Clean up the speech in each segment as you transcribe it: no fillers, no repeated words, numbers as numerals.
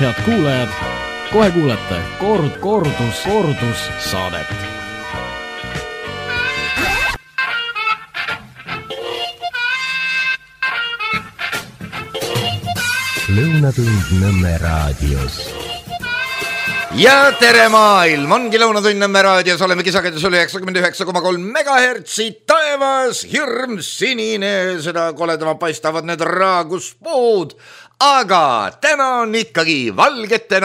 Head kuulajad, kohe kuulete kordus saadet. Lõunatund Nõmme raadios. Ja tere maailm, ongi Lõunatund Nõmme raadios, oleme kisagedus üle 99,3 megahertsi, taevas hirm sinine, seda koledama paistavad need raaguspuud, aga täna on ikkagi valgete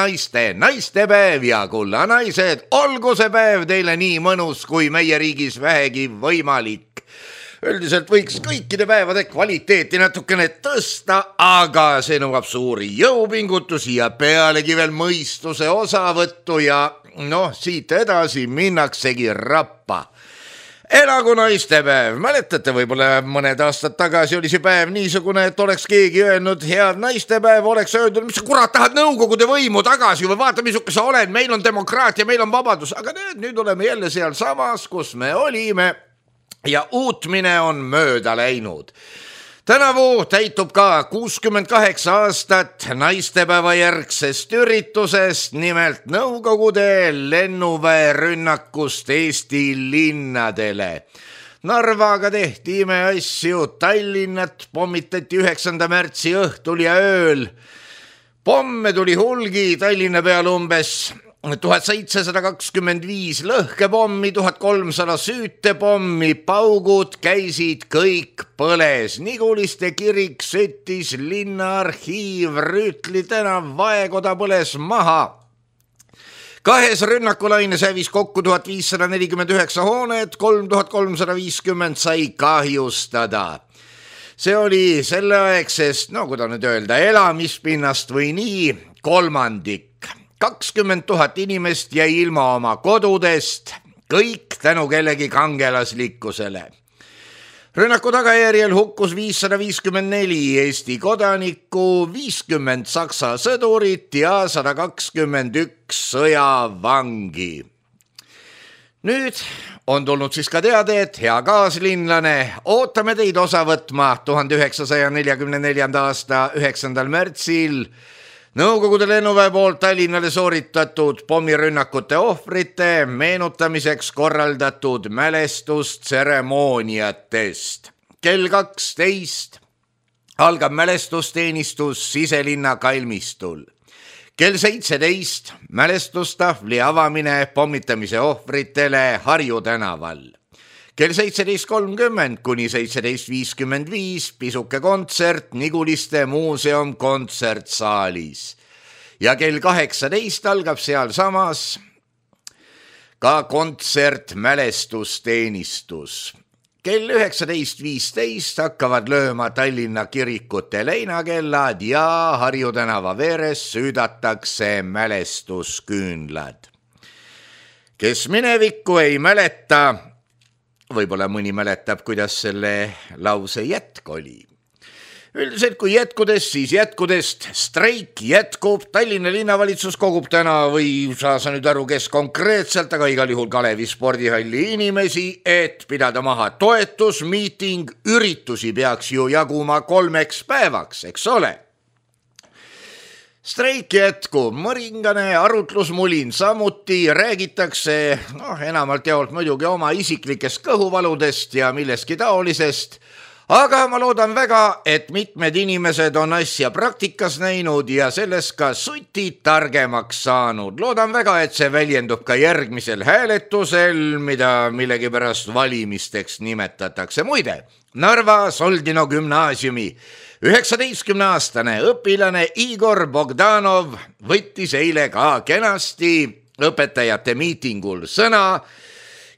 naistepäev ja kulla naised, olgu see päev teile nii mõnus kui meie riigis vähegi võimalik. Üldiselt võiks kõikide päevade kvaliteeti natukene tõsta, aga see nõuab suuri jõupingutusi ja pealegi veel mõistuse osavõttu ja siit edasi minnaksegi rappa. Elagu naistepäev, mäletate võib-olla mõned aastad tagasi oli see päev niisugune, et oleks keegi öelnud head naistepäev, oleks öeldud, mis sa kurat tahad nõukogude võimu tagasi või vaata, misuke sa oled, meil on demokraatia, meil on vabadus, aga nüüd oleme jälle seal samas, kus me olime. Ja uutmine on mööda läinud. Tänavu täitub ka 68 aastat naistepäeva järgsest üritusest, nimelt Nõukogude lennuväe rünnakust Eesti linnadele. Narvaga tehti imeasju, Tallinnat pommitati 9. märtsi õhtul ja ööl. Pomme tuli hulgi, Tallinna peal umbes 1725 lõhkepommi, 1300 süütepommi, paugud käisid kõik põles. Niguliste kirik süttis, linnaarhiiv, Rüütli tänav, Vaekoda põles maha. Kahes rünnakulaines hävis kokku 1549 hoonet, 3350 sai kahjustada. See oli selleaegsest, kuidas nüüd öelda, elamispinnast või nii, kolmandik. 20 000 inimest jäi ilma oma kodudest, kõik tänu kellegi kangelaslikkusele. Rünnaku tagajärjel hukkus 554 Eesti kodanikku, 50 Saksa sõdurit ja 121 sõjavangi. Nüüd on tulnud siis ka teade, et hea kaaslinlane, ootame teid osa võtma 1944. aasta 9. märtsil Nõukogude lennuväe poolt Tallinnale sooritatud pommirünnakute ohvrite meenutamiseks korraldatud mälestustseremooniatest. Kell 12 algab mälestusteenistus Siselinna kalmistul. Kell 17 mälestustahvli avamine pommitamise ohvritele Harju tänaval. Kell 17.30 kuni 17.55 pisuke kontsert Niguliste muuseum kontsertsaalis. Ja kell 18 algab seal samas ka kontsert mälestusteenistus. Kell 19.15 hakkavad lööma Tallinna kirikute leinakellad ja Harju tänava veres süüdatakse mälestusküünlad. Kes minevikku ei mäleta, võib-olla mõni mäletab, kuidas selle lause jätk oli. Üldiselt kui jätkudest, siis jätkudest. Streik jätkub, Tallinna linnavalitsus kogub täna või sa nüüd aru, kes konkreetselt, aga igal juhul Kalevi spordihalli inimesi, et pidada maha toetusmiiting, üritusi peaks ju jaguma 3 päevaks, eks ole. Streik jätkub, mõringane arutlusmulin samuti, räägitakse enamalt jaolt muidugi oma isiklikest kõhuvaludest ja millestki taolisest, aga ma loodan väga, et mitmed inimesed on asja praktikas näinud ja sellest ka sutid targemaks saanud. Loodan väga, et see väljendub ka järgmisel hääletusel, mida millegipärast valimisteks nimetatakse. Muide, Narva Soldino gümnaasiumi 19-aastane õpilane Igor Bogdanov võttis eile ka kenasti õpetajate miitingul sõna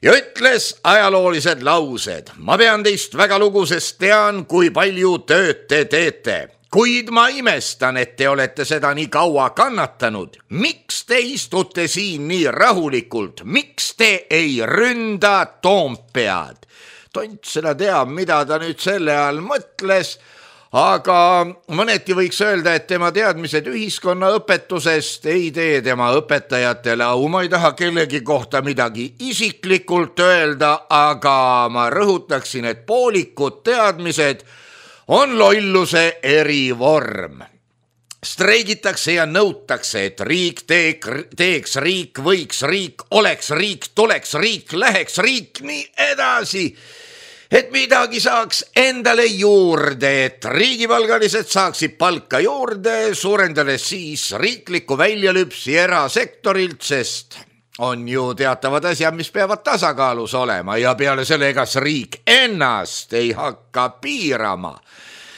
ja ütles ajaloolised laused. Ma pean teist väga lugu, sest tean, kui palju tööd te teete. Kuid ma imestan, et te olete seda nii kaua kannatanud. Miks te istute siin nii rahulikult? Miks te ei ründa Toompead? Tont seda teab, mida ta nüüd selle all mõtles, aga mõneti võiks öelda, et tema teadmised ühiskonnaõpetusest ei tee tema õpetajatele au. Ma ei taha kellegi kohta midagi isiklikult öelda, aga ma rõhutaksin, et poolikud teadmised on lolluse erivorm. streigitakse ja nõutakse, et riik teeks, riik võiks, riik oleks, riik tuleks, riik läheks, riik nii edasi. Et midagi saaks endale juurde, et riigipalgalised saaksid palka juurde, suurendades siis riiklikku väljalüpsi erasektorilt, sest on ju teatavad asjad, mis peavad tasakaalus olema ja peale selle, kas riik ennast ei hakka piirama.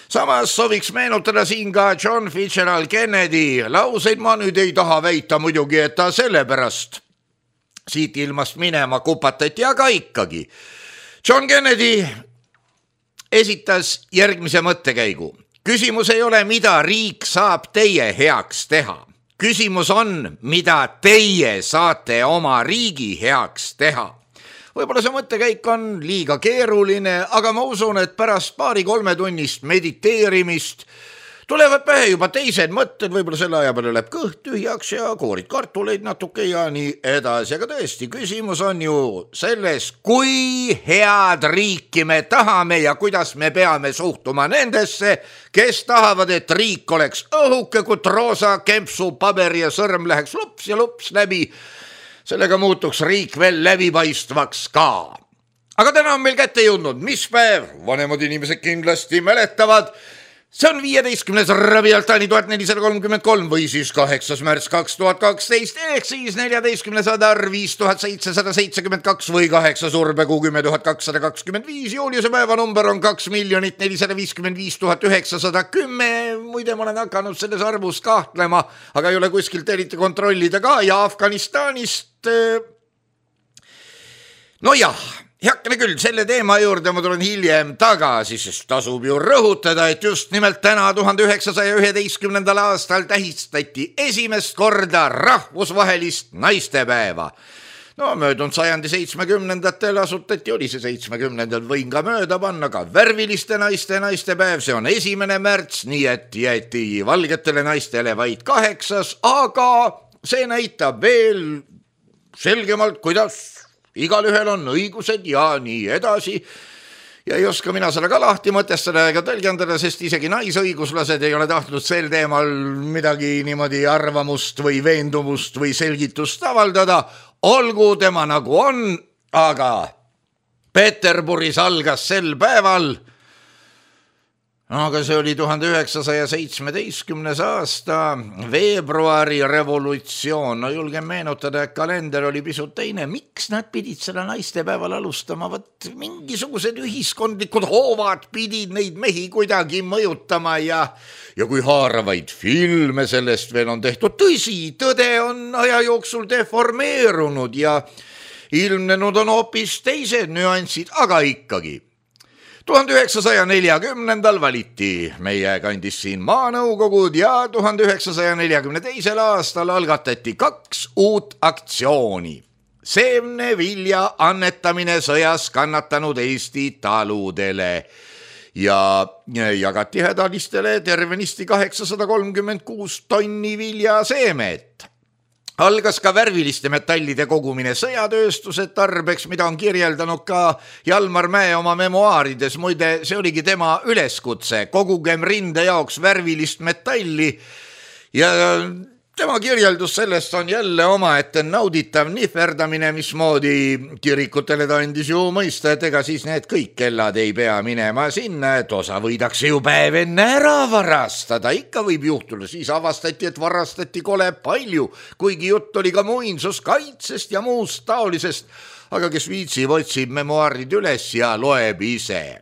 Samas sooviks meenutada siin ka John Fitzgerald Kennedy lauseid, ma nüüd ei taha väita muidugi, et ta sellepärast siit ilmast minema kupatati, aga ikkagi. John Kennedy esitas järgmise mõttekäigu. Küsimus ei ole, mida riik saab teie heaks teha. Küsimus on, mida teie saate oma riigi heaks teha. Võib-olla see mõttekäik on liiga keeruline, aga ma usun, et pärast 2-3 tunnist mediteerimist tulevad pähe juba teised mõtted, võib-olla selle aja peale läheb kõht tühjaks ja koorid kartuleid natuke ja nii edasi. Aga tõesti, küsimus on ju selles, kui head riiki me tahame ja kuidas me peame suhtuma nendesse, kes tahavad, et riik oleks õhuke, kui roosa kempsu, paber ja sõrm läheks lups ja lups läbi. Sellega muutuks riik veel läbipaistvaks ka. Aga täna on meil kätte jõudnud, mis päev? Vanemad inimesed kindlasti mäletavad. See on 15. Rabialtani 1433 või siis 8. märts 2012 ehk siis 14. adar 5772 või 8 surbekuu 10225. Juuliuse päevanumber on 2 455 910. Muide, ma olen hakanud selles arvus kahtlema, aga ei ole kuskilt eriti kontrollida ka ja Afganistanist. No jah. Heakene küll, selle teema juurde ma tulen hiljem tagasi, sest tasub ju rõhutada, et just nimelt täna 1911. aastal tähistati esimest korda rahvusvahelist naistepäeva. No möödunud sajandi 70-ndatel asutati, oli see 70-ndal, võin ka mööda panna ka värviliste naistepäev, see on 1. märts, nii et jäeti valgetele naistele vaid 8, aga see näitab veel selgemalt, kuidas igal ühel on õigused ja nii edasi ja ei oska mina selle ka lahti mõtestada ega tõlgendada, sest isegi naisõiguslased ei ole tahtnud sel teemal midagi niimoodi arvamust või veendumust või selgitust avaldada. Olgu tema nagu on, aga Peterburis algas sel päeval, aga see oli 1917. aasta veebruari revolutsioon. No julgen meenutada, et kalender oli pisut teine. Miks nad pidid seda naistepäeval alustama? Võt mingisugused ühiskondlikud hoovad pidid neid mehi kuidagi mõjutama ja kui haaravaid filme sellest veel on tehtud. Tõsi, tõde on aja jooksul deformeerunud ja ilmnenud on hoopis teised nüansid, aga ikkagi. 1940. valiti meie kandis siin maanõukogud ja 1942. aastal algatati 2 uut aktsiooni. Seemnevilja annetamine sõjas kannatanud Eesti taludele ja jagati hädalistele tervenisti 836 tonni viljaseemet. Algas ka värviliste metallide kogumine sõjatööstuse tarbeks, mida on kirjeldanud ka Jalmar Mäe oma memoaarides. Muide, see oligi tema üleskutse, kogugem rinde jaoks värvilist metalli ja tema kirjeldus sellest on jälle omaette nauditav nihverdamine, mismoodi kirikutele ta andis ju mõista, et ega siis need kõik kellad ei pea minema sinna, et osa võidakse ju päev enne ära varastada. Ikka võib juhtuda, siis avastati, et varastati kole palju, kuigi jutt oli ka muinsuskaitsest ja muust taolisest, aga kes viitsib, otsib memoaarid üles ja loeb ise.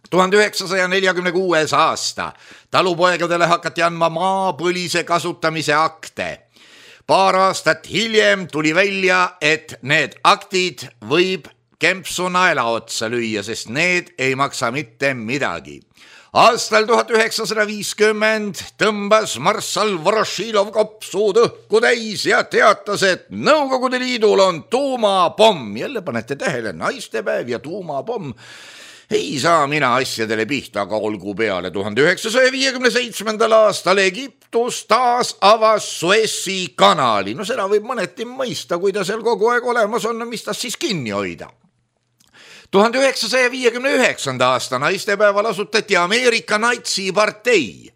1946. aasta talupoegadele hakati andma maapõlise kasutamise akte. Paar aastat hiljem tuli välja, et need aktid võib kempsu naela otsa lüüa, sest need ei maksa mitte midagi. Aastal 1950 tõmbas marssal Vorošilov kopsuud õhku täis ja teatas, et Nõukogude Liidul on tuumapomm. Jälle panete tähele, naistepäev ja tuumapomm. Ei saa mina asjadele pihta, aga olgu peale. 1957. aastal Egiptus taas avas Suessi kanali. No seda võib mõneti mõista, kui ta seal kogu aeg olemas on, mis ta siis kinni hoida. 1959. aasta naistepäeval asutati Ameerika natsipartei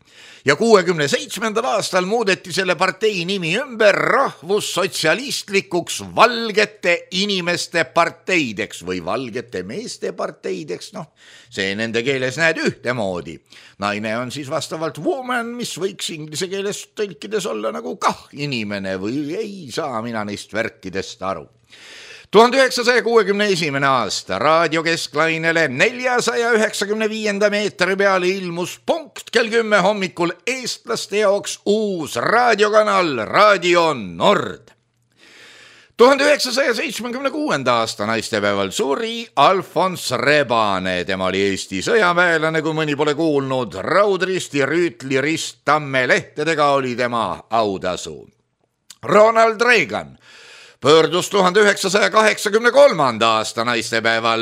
ja 67. aastal muudeti selle partei nimi ümber rahvussotsialistlikuks valgete inimeste parteideks või valgete meeste parteideks, noh, see nende keeles näed ühtemoodi. Naine on siis vastavalt woman, mis võiks inglise keeles tõlkides olla nagu kah inimene või ei saa mina neist värkidest aru. 1961. aasta raadiokesklainele 495 meetri peale ilmus punkt kell 10 hommikul eestlaste jaoks uus raadiokanal Radio Nord. 1976. aasta naistepäeval suri Alfons Rebane, tema oli Eesti sõjaväelane, kui mõni pole kuulnud, raudristi, rüütlirist, tammelehtedega oli tema autasu. Ronald Reagan pöördus 1983. aasta naistepäeval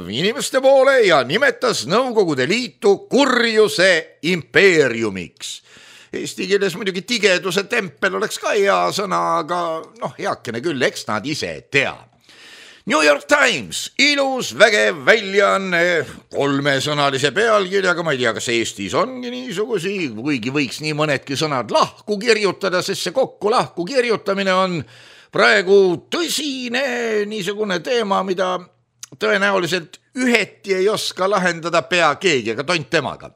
inimeste poole ja nimetas Nõukogude Liitu kurjuse impeeriumiks. Eesti keeles muidugi tigeduse tempel oleks ka hea sõna, aga heakene küll, eks nad ise tea. New York Times, ilus, vägev väljaanne, 3-sõnalise pealkirjaga, ma ei tea, kas Eestis ongi niisugusi, kuigi võiks nii mõnedki sõnad lahku kirjutada, sest see kokku lahku kirjutamine on praegu tõsine niisugune teema, mida tõenäoliselt üheti ei oska lahendada pea keegi, aga tont temaga.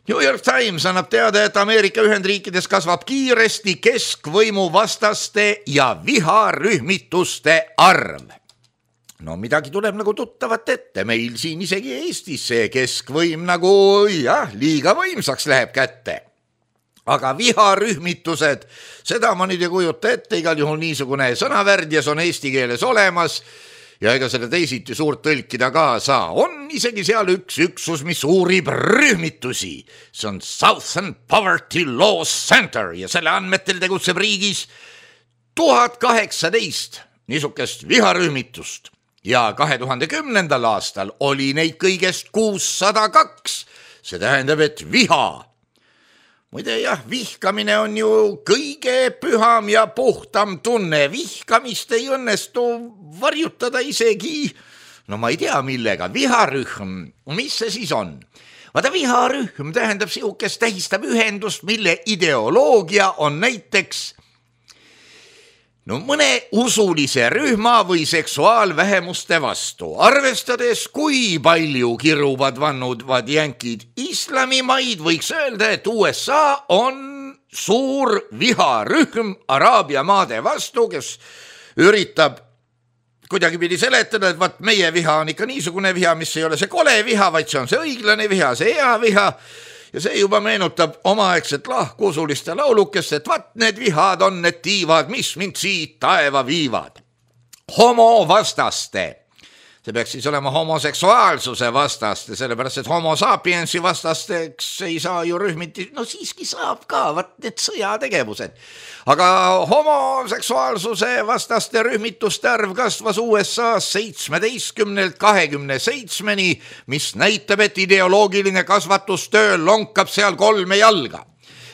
New York Times annab teada, et Ameerika Ühendriikides kasvab kiiresti keskvõimu vastaste ja viharühmituste arv. No midagi tuleb nagu tuttavat ette, meil siin isegi Eestis see keskvõim nagu liiga võimsaks läheb kätte. Aga viharühmitused, seda ma nüüd ei kujuta ette, igal juhul niisugune sõnavärdjas on eesti keeles olemas ja ega selle teisiti suurt tõlkida ka saa. On isegi seal üks üksus, mis uurib rühmitusi. See on Southern Poverty Law Center ja selle andmetel tegutseb riigis 1018 niisugust viharühmitust ja 2010. aastal oli neid kõigest 602. See tähendab, et viha. Muide vihkamine on ju kõige püham ja puhtam tunne. Vihkamist ei õnnestu varjutada isegi, ma ei tea millega, viharühm. Mis see siis on? Vaata, viharühm tähendab sihukest, tähistab ühendust, mille ideoloogia on näiteks mõne usulise rühma või seksuaalvähemuste vastu. Arvestades, kui palju kiruvad vannuvad jänkid islamimaid, võiks öelda, et USA on suur viharühm Araabia maade vastu, kes üritab kuidagi pidi seletada, et vaat meie viha on ikka niisugune viha, mis ei ole see kole viha, vaid see on see õiglane viha, see hea viha. Ja see juba meenutab omaaegset lahkusuliste laulukest, et vaat need vihad on need tiivad, mis mind siit taeva viivad. Homovastaste. See peaks siis olema homoseksuaalsuse vastaste, sellepärast et homo sapiensi vastasteks ei saa ju rühmiti, siiski saab ka, vaat need sõjategevused. Aga homoseksuaalsuse vastaste rühmituste arv kasvas USA-s 17-lt 27-ni, mis näitab, et ideoloogiline kasvatustöö lonkab seal 3 jalga.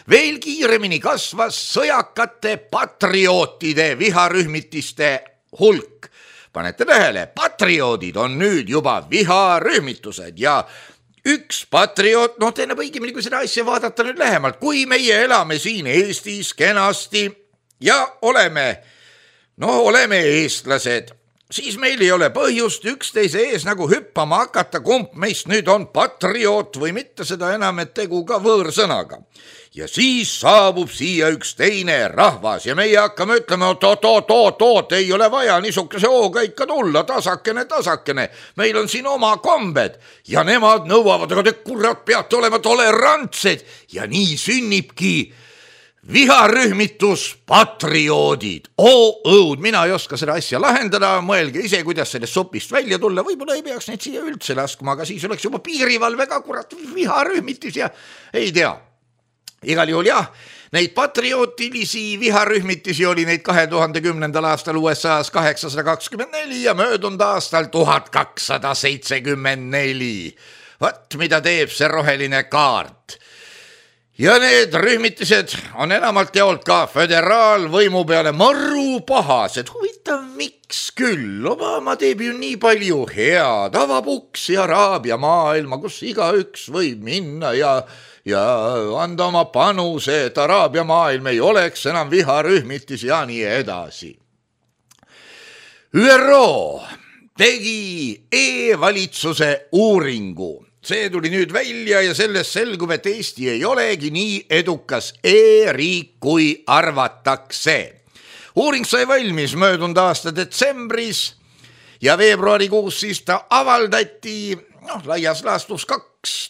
Veel kiiremini kasvas sõjakate patriootide viharühmitiste hulk. Panete tähele, patrioodid on nüüd juba viharühmitused ja üks patrioot, tähendab õigemini, kui seda asja vaadata nüüd lähemalt, kui meie elame siin Eestis kenasti ja oleme eestlased, siis meil ei ole põhjust üksteise ees nagu hüppama hakata, kumb meist nüüd on patrioot või mitte, seda enam, et tegu ka võõrsõnaga. Ja siis saabub siia üks teine rahvas ja meie hakkame ütlema, oot, ei ole vaja niisuguse hooga ikka tulla, tasakene. Meil on siin oma kombed ja nemad nõuavad, aga te kurat peate olema tolerantsed ja nii sünnibki viharühmitus patrioodid. Õud, mina ei oska seda asja lahendada, mõelge ise, kuidas sellest sopist välja tulla, võib-olla ei peaks neid siia üldse laskma, aga siis oleks juba piirivalve ka kurat viharühmitus ja ei tea. Igal juhul neid patriootilisi viharühmitisi oli neid 2010. aastal USA-s 824 ja möödunud aastal 1274. Vaat mida teeb see roheline kaart. Ja need rühmitised on enamalt jaolt ka föderaalvõimu peale maru pahased. Huvitav, miks küll? Obama teeb ju nii palju head, avab uksi Araabia maailma, kus igaüks võib minna ja ja anda oma panuse, et Araabia maailm ei oleks enam viharühmitis ja nii edasi. ÜRO tegi e-valitsuse uuringu. See tuli nüüd välja ja sellest selgub, et Eesti ei olegi nii edukas e-riik, kui arvatakse. Uuring sai valmis möödunud aasta detsembris ja veebruarikuus siis ta avaldati laias laastus 2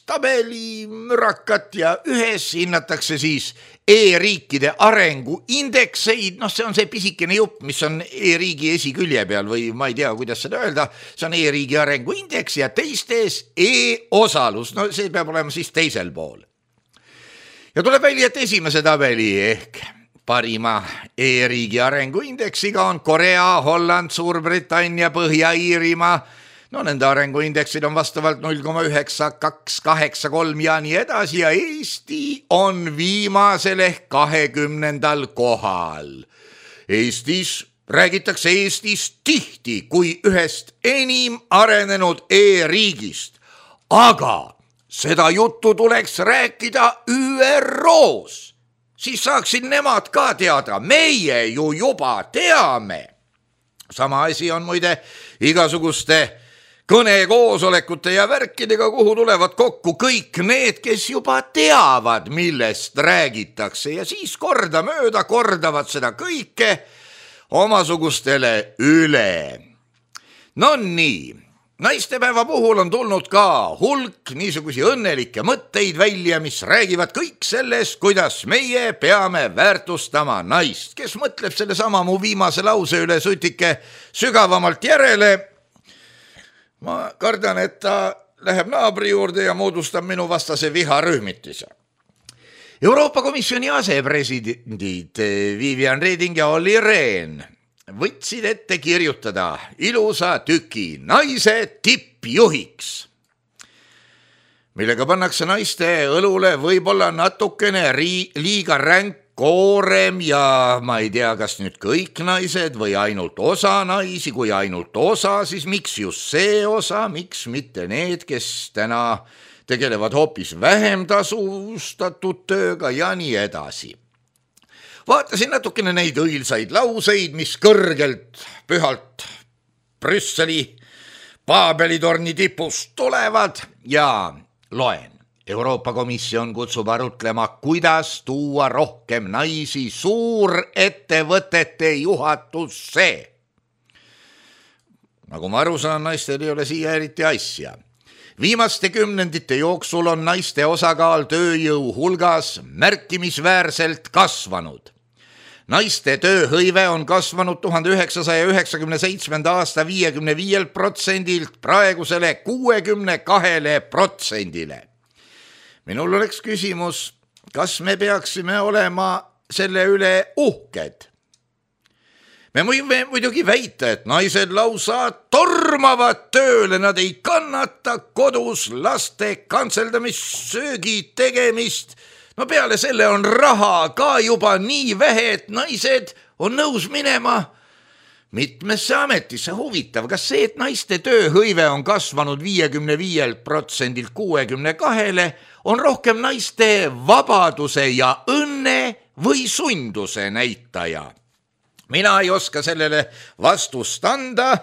tabelimürakat ja ühes hinnatakse siis e-riikide arenguindekseid. See on see pisikene jupp, mis on e-riigi esikülje peal või ma ei tea, kuidas seda öelda. See on e-riigi arenguindeks ja teistes e-osalus. See peab olema siis teisel pool. Ja tuleb välja, et esimese tabeli ehk parima e-riigi arenguindeksiga on Korea, Holland, Suurbritannia, Põhja-Iirimaa. Nende arenguindeksid on vastavalt 0,9, 2, 8, 3 ja nii edasi ja Eesti on viimasel ehk 20. kohal. Räägitakse Eestist tihti kui ühest enim arenenud e-riigist, aga seda juttu tuleks rääkida ÜRO-s. Siis saaksid nemad ka teada, meie ju juba teame. Sama asi on muide igasuguste kõnekoosolekute ja värkidega, kuhu tulevad kokku kõik need, kes juba teavad, millest räägitakse ja siis kordamööda kordavad seda kõike omasugustele üle. Nii, naistepäeva puhul on tulnud ka hulk niisugusi õnnelikke mõtteid välja, mis räägivad kõik sellest, kuidas meie peame väärtustama naist. Kes mõtleb selle sama mu viimase lause üle sutike sügavamalt järele, ma kardan, et ta läheb naabri juurde ja moodustab minu vastase viharühmitise. Euroopa Komisjoni asepresidendid Viviane Reding ja Olli Rehn võtsid ette kirjutada ilusa tüki naise tippjuhiks, millega pannakse naiste õlule võib-olla natukene liiga ränk koorem ja ma ei tea, kas nüüd kõik naised või ainult osa naisi, kui ainult osa, siis miks just see osa, miks mitte need, kes täna tegelevad hoopis vähem tasustatud tööga ja nii edasi. Vaatasin natukene neid õilsaid lauseid, mis kõrgelt pühalt Brüsseli Paabelitorni tipust tulevad ja loen. Euroopa Komisjon kutsub arutlema, kuidas tuua rohkem naisi suurettevõtete juhatusse. Nagu ma aru saan, naistel ei ole siia eriti asja. Viimaste kümnendite jooksul on naiste osakaal tööjõu hulgas märkimisväärselt kasvanud. Naiste tööhõive on kasvanud 1997. aasta 55% praegusele 62%. Minul oleks küsimus, kas me peaksime olema selle üle uhked? Me võime muidugi väita, et naised lausa tormavad tööle, nad ei kannata kodus laste kantseldamist, söögi tegemist. Peale selle on raha ka juba nii vähe, et naised on nõus minema mitmesse ametisse. Huvitav, kas see, et naiste tööhõive on kasvanud 55%-lt 62%, on rohkem naiste vabaduse ja õnne või sunduse näitaja? Mina ei oska sellele vastust anda,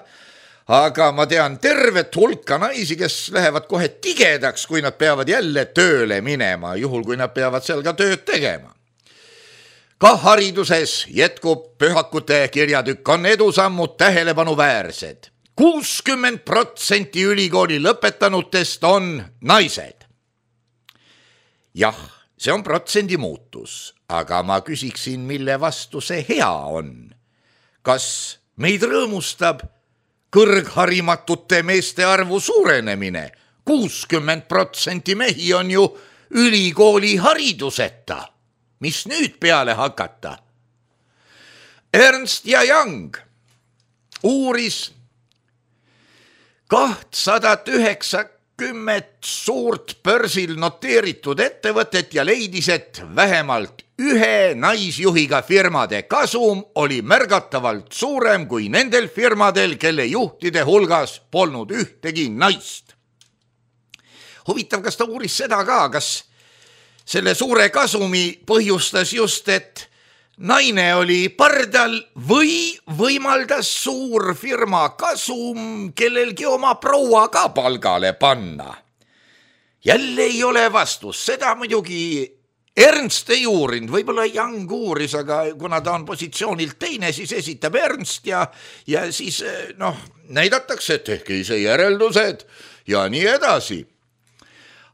aga ma tean tervet hulka naisi, kes lähevad kohe tigedaks, kui nad peavad jälle tööle minema, juhul kui nad peavad seal ka tööd tegema. Ka hariduses jätkub pühakute kirjatükk, on edusammud tähelepanuväärsed. 60% ülikooli lõpetanutest on naised. Jah, see on protsendi muutus, aga ma küsiksin, mille vastu see hea on. Kas meid rõõmustab kõrgharimatute meeste arvu suurenemine? 60% mehi on ju ülikooli hariduseta. Mis nüüd peale hakata? Ernst & Young uuris 290 suurt börsil noteeritud ettevõtet ja leidis, et vähemalt ühe naisjuhiga firmade kasum oli märgatavalt suurem kui nendel firmadel, kelle juhtide hulgas polnud ühtegi naist. Huvitav, kas ta uuris seda ka, kas selle suure kasumi põhjustas just, et naine oli pardal või võimaldas suur firma kasum kellelgi oma proua ka palgale panna. Jälle ei ole vastus, seda muidugi Ernst ei uurinud, võib-olla Young uuris, aga kuna ta on positsioonilt teine, siis esitab Ernst ja siis näidatakse, et tehke ise järeldused ja nii edasi.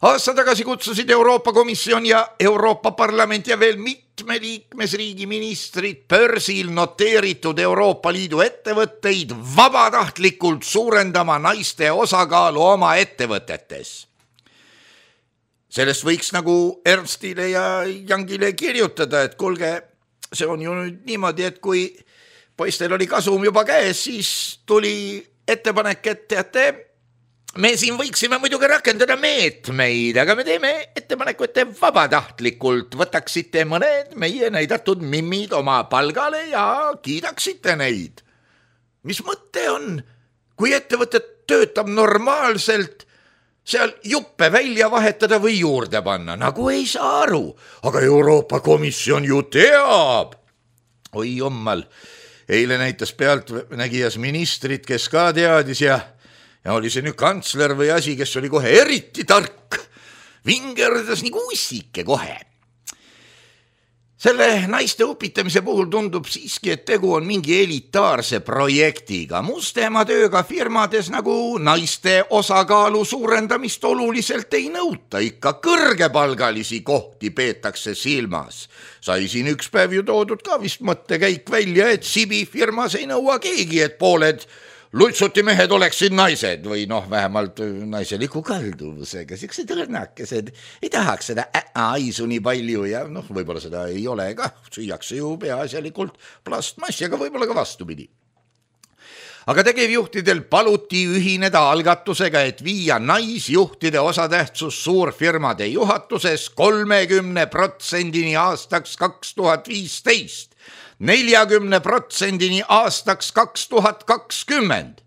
Aasta tagasi kutsusid Euroopa Komisjon ja Euroopa Parlament ja veel mitme liikmesriigi ministrid börsil noteeritud Euroopa Liidu ettevõtteid vabatahtlikult suurendama naiste osakaalu oma ettevõtetes. Sellest võiks nagu Ernstile ja Youngile kirjutada, et kuulge, see on ju nüüd niimoodi, et kui poistel oli kasum juba käes, siis tuli ettepanek, et teate, me siin võiksime muidugi rakendada meetmeid, aga me teeme ettepaneku, et te vabatahtlikult võtaksite mõned meie näidatud mimmid oma palgale ja kiidaksite neid. Mis mõte on, kui ettevõte töötab normaalselt, seal juppe välja vahetada või juurde panna, nagu ei saa aru, aga Euroopa Komisjon ju teab. Oi jummal, eile näitas pealtnägijas ministrit, kes ka teadis ja oli see nüüd kantsler või asi, kes oli kohe eriti tark, vingerdas nagu ussike kohe. Selle naiste upitamise puhul tundub siiski, et tegu on mingi elitaarse projektiga. Mustema tööga firmades nagu naiste osakaalu suurendamist oluliselt ei nõuta, ikka kõrgepalgalisi kohti peetakse silmas. Sai siin üks päev ju toodud ka vist mõttekäik välja, et Sibi firmas ei nõua keegi, et pooled lutsuti mehed oleksid naised või vähemalt naiseliku kalduvusega, siuksed õrnakesed, ei tahaks seda aisu nii palju ja võib-olla seda ei ole ka, süüakse ju peaasjalikult plastmassi, aga võib-olla ka vastupidi. Aga tegevjuhtidel paluti ühineda algatusega, et viia naisjuhtide osatähtsus suurfirmade juhatuses 30% aastaks 2015. 40% aastaks 2020.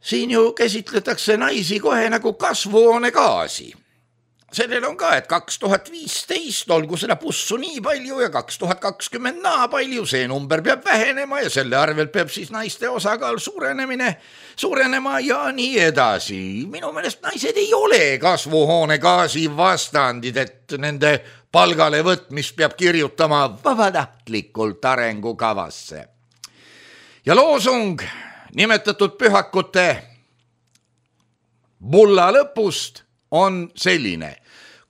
Siin ju käsitletakse naisi kohe nagu kasvuhoonegaasi. Sellel on ka, et 2015 olgu seda pussu nii palju ja 2020 naa palju, see number peab vähenema ja selle arvelt peab siis naiste osakaal suurenema ja nii edasi. Minu meelest naised ei ole kasvuhoonegaasi vastandid, et nende palgale võtmist peab kirjutama vabatahtlikult arengukavasse. Ja loosung nimetatud pühakute bulla lõpust on selline.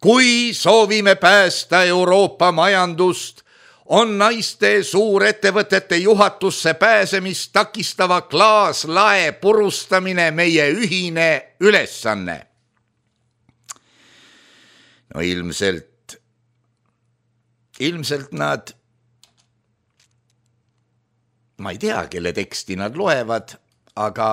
Kui soovime päästa Euroopa majandust, on naiste suurettevõtete juhatusse pääsemist takistava klaaslae purustamine meie ühine ülesanne. Ilmselt nad, ma ei tea, kelle teksti nad loevad, aga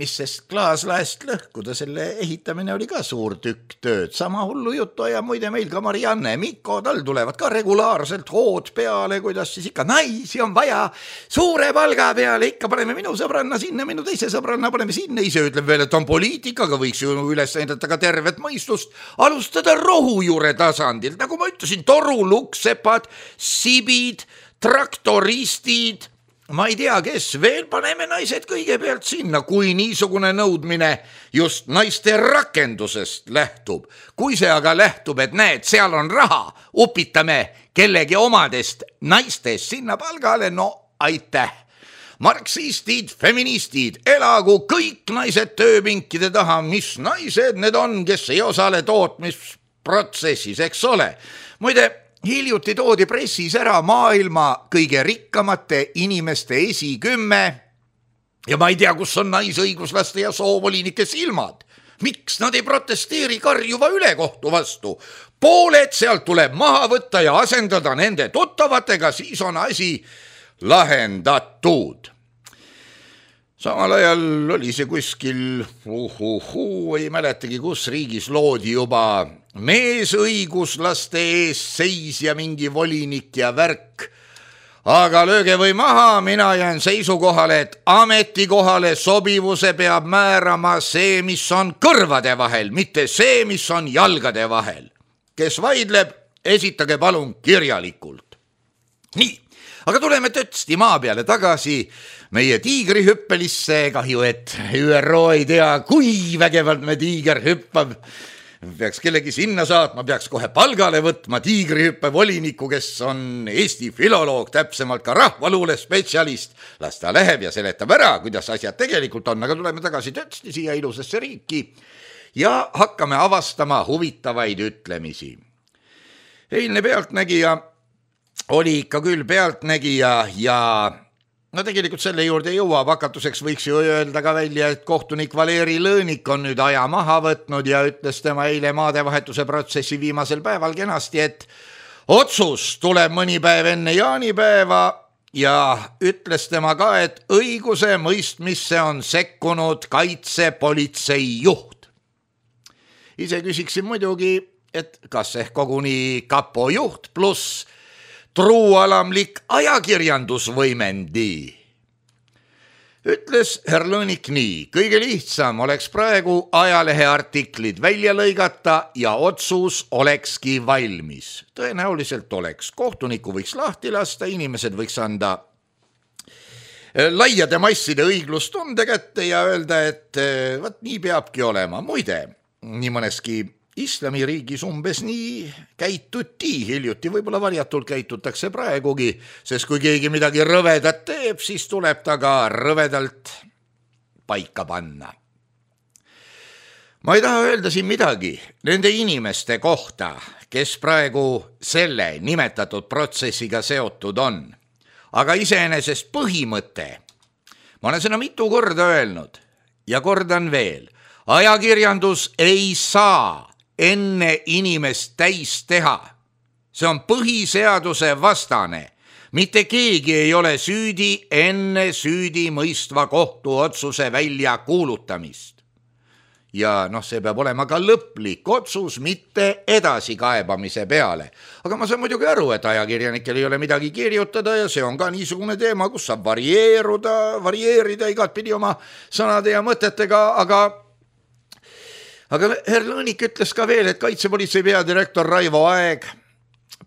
mis sest klaaslaest lõhkuda, selle ehitamine oli ka suur tükk tööd. Sama hullu juttu ja muide meil ka Marianne, Mikko, tal tulevad ka regulaarselt hood peale, kuidas siis ikka naisi on vaja suure palga peale, ikka paneme minu sõbranna sinna, minu teise sõbranna paneme sinna, ise ütleb veel, et on poliitikaga, võiks ju üles näidata ka tervet mõistust, alustada rohujuure tasandilt, nagu ma ütlesin, toruluksepad, sibid, traktoristid, ma ei tea, kes veel, paneme naised kõigepealt sinna, kui niisugune nõudmine just naiste rakendusest lähtub. Kui see aga lähtub, et näed, seal on raha, upitame kellegi omadest naistest sinna palgale, no aitäh. Marksistid, feministid, elagu kõik naised tööpinkide taha, mis naised need on, kes ei osale tootmisprotsessis, eks ole. Muide, hiljuti toodi pressis ära maailma kõige rikkamate inimeste 10 ja ma ei tea, kus on naisõiguslaste ja soovolinike silmad. Miks nad ei protesteeri karjuva ülekohtu vastu? Pooled sealt tuleb maha võtta ja asendada nende tuttavatega, siis on asi lahendatud. Samal ajal oli see kuskil, ei mäletagi, kus riigis loodi juba meesõiguslaste ees seisja mingi volinik ja värk. Aga lööge või maha, mina jään seisukohale, et ametikohale sobivuse peab määrama see, mis on kõrvade vahel, mitte see, mis on jalgade vahel. kes vaidleb, esitage palun kirjalikult. Nii, aga tuleme tõtsti maa peale tagasi meie tiigrihüppelisse. Kahju, et ÜRO ei tea, kui vägevalt me tiiger hüppab. Peaks kellegi sinna saatma, peaks kohe palgale võtma tiigrihüppe voliniku, kes on Eesti filoloog, täpsemalt ka rahvaluule spetsialist. Las ta läheb ja seletab ära, kuidas asjad tegelikult on, aga tuleme tagasi tõtsti siia ilusasse riiki ja hakkame avastama huvitavaid ütlemisi. Eilne Pealtnägija oli ikka küll Pealtnägija ja no tegelikult selle juurde jõuab, hakatuseks võiks ju öelda ka välja, et kohtunik Valeri Lõõnik on nüüd aja maha võtnud ja ütles tema eile maadevahetuse protsessi viimasel päeval kenasti, et otsus tuleb mõni päev enne jaanipäeva ja ütles tema ka, et õiguse mõistmisse on sekkunud kaitsepolitsei juht. Ise küsiksin muidugi, et kas ehk koguni kapo juht pluss truualamlik ajakirjandusvõimendi. Ütles herr Lõõnik nii, kõige lihtsam oleks praegu ajalehe artiklid välja lõigata ja otsus olekski valmis. Tõenäoliselt oleks. Kohtuniku võiks lahti lasta, inimesed võiks anda laiade masside õiglustunde kätte ja öelda, et võt nii peabki olema. Muide, nii mõneski Islamiriigis umbes nii käituti hiljuti, võib-olla varjatult käitutakse praegugi, sest kui keegi midagi rõvedat teeb, siis tuleb ta ka rõvedalt paika panna. Ma ei taha öelda siin midagi nende inimeste kohta, kes praegu selle nimetatud protsessiga seotud on, aga iseenesest põhimõte. Ma olen seda mitu korda öelnud ja kordan veel, ajakirjandus ei saa enne inimest täis teha. See on põhiseaduse vastane. Mitte keegi ei ole süüdi enne süüdi mõistva kohtuotsuse välja kuulutamist. Ja see peab olema ka lõplik otsus, mitte edasikaebamise peale. Aga ma saan muidugi aru, et ajakirjanikel ei ole midagi kirjutada ja see on ka niisugune teema, kus saab varieerida igatpidi oma sõnade ja mõtetega, aga herr Lõõnik ütles ka veel, et kaitsepolitsei peadirektor Raivo Aeg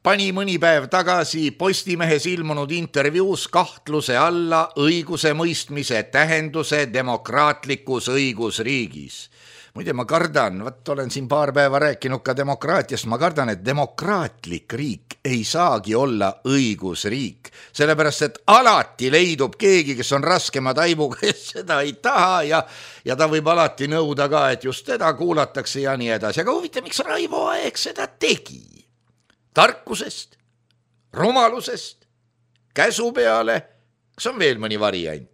pani mõni päev tagasi Postimehes ilmunud intervjuus kahtluse alla õiguse mõistmise tähenduse demokraatlikus õigusriigis. Muide, ma kardan, olen siin paar päeva rääkinud ka demokraatiast, ma kardan, et demokraatlik riik ei saagi olla õigusriik, sellepärast et alati leidub keegi, kes on raskema taibuga, kes seda ei taha ja ta võib alati nõuda ka, et just teda kuulatakse ja nii edasi. Aga huvitav, miks Raivo Aeg seda tegi? Tarkusest, rumalusest, käsu peale, kas on veel mõni variant?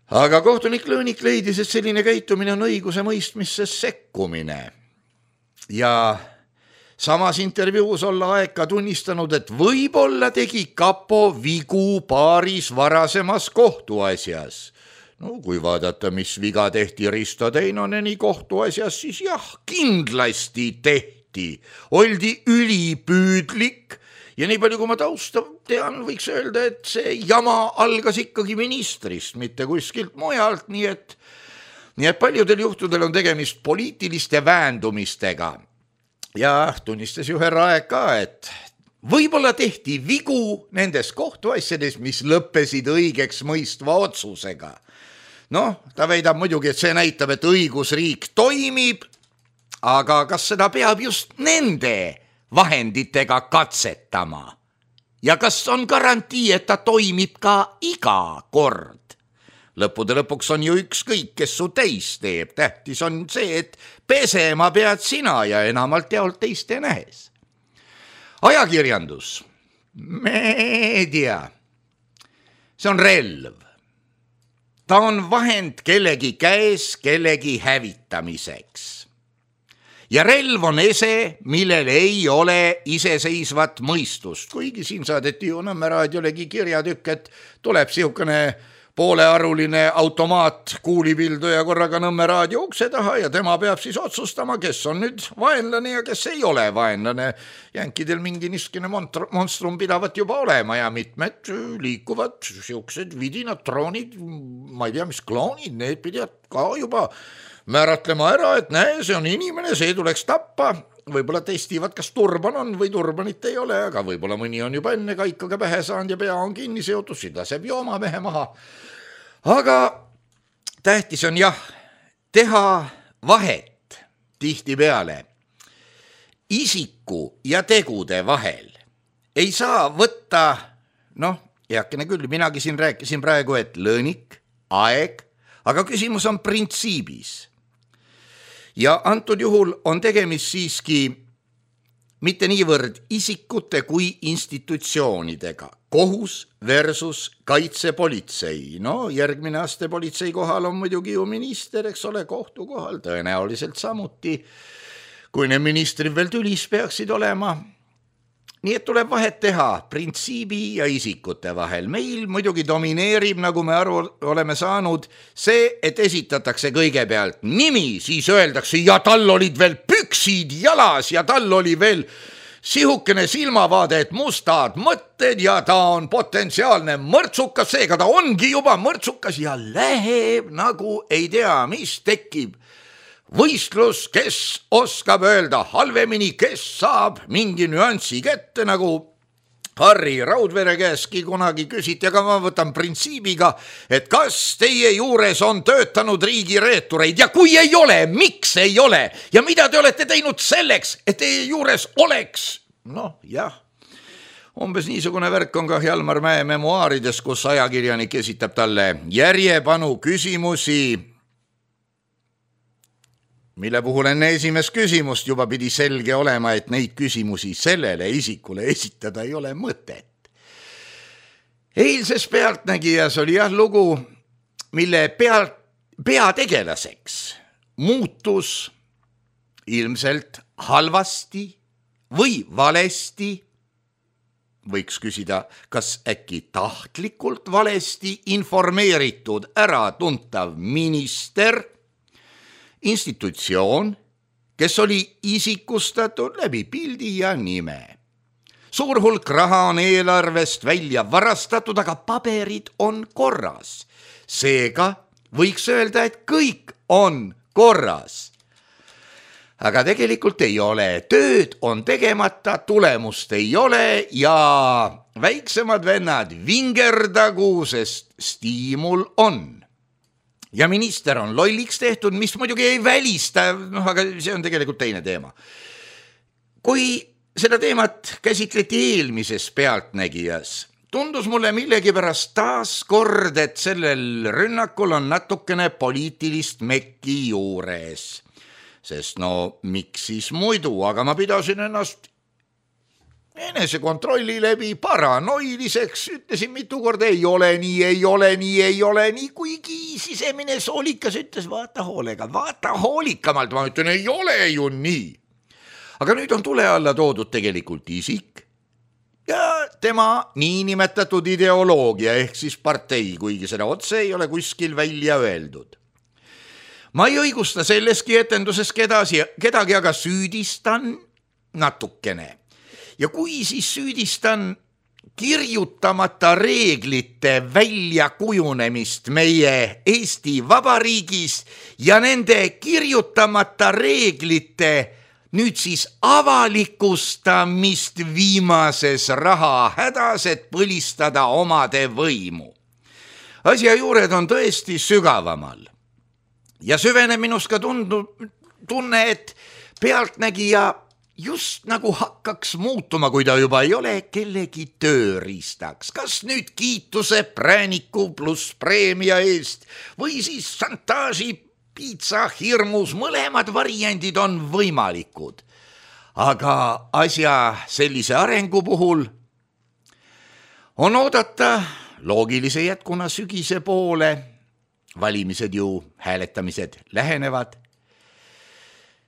Aga kohtunik Lõõnik leidis, et selline käitumine on õiguse mõistmisse sekkumine. Ja samas intervjuus olla Aeg ka tunnistanud, et võib-olla tegi kapo vigu paaris varasemas kohtuasjas. No kui vaadata, mis viga tehti Risto Teinoneni kohtuasjas, siis jah, kindlasti tehti. Oldi ülipüüdlik ja nii palju, kui ma tausta tean, võiks öelda, et see jama algas ikkagi ministrist, mitte kuskilt mujalt, nii et paljudel juhtudel on tegemist poliitiliste väändumistega. Ja tunnistas ju herra Aeg ka, et võib-olla tehti vigu nendes kohtuasjades, mis lõppesid õigeks mõistva otsusega. Ta väidab muidugi, et see näitab, et õigusriik toimib, aga kas seda peab just nende vahenditega katsetama? Ja kas on garantii, et ta toimib ka iga kord? Lõppude lõpuks on ju ükskõik, kes su täis teeb. Tähtis on see, et pesema pead sina ja enamalt jaolt teiste nähes. Ajakirjandus, meedia, see on relv. Ta on vahend kellegi käes kellegi hävitamiseks. Ja relv on ese, millel ei ole iseseisvat mõistust. Kuigi siin saadeti ju Nõmme raadiolegi kirjatükk, et tuleb siukene poolearuline automaat kuulipilduja korraga Nõmme raadio ukse taha ja tema peab siis otsustama, kes on nüüd vaenlane ja kes ei ole vaenlane. Jänkidel mingi niskine monstrum pidavat juba olema ja mitmed liikuvad siuksed vidinad, troonid, ma ei tea, mis kloonid, need pidavad ka juba määratlema ära, et näe, see on inimene, see tuleks tappa võib-olla testivad, kas turban on või turbanit ei ole, aga võib-olla mõni on juba enne kaikaga pähe saanud ja pea on kinni seotud, siis laseb jooma mehe maha. Aga tähtis on jah, teha vahet tihtipeale isiku ja tegude vahel. Ei saa võtta, heakene küll, minagi siin rääkisin praegu, et lõõnik, aeg, aga küsimus on printsiibis. Ja antud juhul on tegemist siiski mitte niivõrd isikute kui institutsioonidega. Kohus versus kaitsepolitsei. Järgmine aste politsei kohal on muidugi ju minister, eks ole, kohtu kohal tõenäoliselt samuti, kui need ministrid veel tülis peaksid olema. Nii et tuleb vahet teha printsiibi ja isikute vahel. Meil muidugi domineerib, nagu me aru oleme saanud, see, et esitatakse kõigepealt nimi, siis öeldakse, ja tal olid veel püksid jalas ja tal oli veel sihukene silmavaade, et mustad mõtted ja ta on potentsiaalne mõrtsukas, seega ta ongi juba mõrtsukas ja läheb nagu ei tea, mis tekib. Võistlus, kes oskab öelda halvemini, kes saab mingi nüanssi kätte, nagu Harri Raudvere käestki kunagi küsiti, aga ma võtan printsiibiga, et kas teie juures on töötanud riigireetureid ja kui ei ole, miks ei ole ja mida te olete teinud selleks, et teie juures oleks? Jah, umbes niisugune värk on ka Hjalmar Mäe memuaarides, kus ajakirjanik esitab talle järjepanu küsimusi, mille puhul enne esimest küsimust juba pidi selge olema, et neid küsimusi sellele isikule esitada ei ole mõtet. Eilses Pealtnägijas oli lugu, mille peategelaseks muutus ilmselt halvasti või valesti, võiks küsida, kas äkki tahtlikult valesti informeeritud äratuntav minister, institutsioon, kes oli isikustatud läbi pildi ja nime. Suur hulk raha on eelarvest välja varastatud, aga paberid on korras. Seega võiks öelda, et kõik on korras. Aga tegelikult ei ole. Tööd on tegemata, tulemust ei ole ja väiksemad vennad vingerdagu, sest stiimul on. Ja minister on lolliks tehtud, mis muidugi ei välista, aga see on tegelikult teine teema. Kui seda teemat käsitleti eelmises Pealtnägijas, tundus mulle millegipärast taas kord, et sellel rünnakul on natukene poliitilist mekki juures. Sest miks siis muidu, aga ma pidasin ennast enesekontrolli läbi paranoiliseks, ütlesin mitu korda, ei ole nii, kuigi sisemine soolikas ütles, vaata hoolikamalt, ma ütlen, ei ole ju nii. Aga nüüd on tule alla toodud tegelikult isik ja tema niinimetatud ideoloogia ehk siis partei, kuigi seda otse ei ole kuskil välja öeldud. Ma ei õigusta selleski etenduses kedagi, aga süüdistan natukene. Ja kui siis süüdistan kirjutamata reeglite väljakujunemist meie Eesti Vabariigis ja nende kirjutamata reeglite nüüd siis avalikustamist viimases rahahädas, et põlistada omade võimu. Asja juured on tõesti sügavamal ja süveneb minust ka tunne, et Pealtnägija just nagu hakkaks muutuma, kui ta juba ei ole kellegi tööriistaks. Kas nüüd kiituse, prääniku pluss preemia eest või siis šantaaži, piitsa, hirmus, mõlemad variandid on võimalikud. Aga asja sellise arengu puhul on oodata loogilise jätkuna sügise poole, valimised ju, hääletamised lähenevad,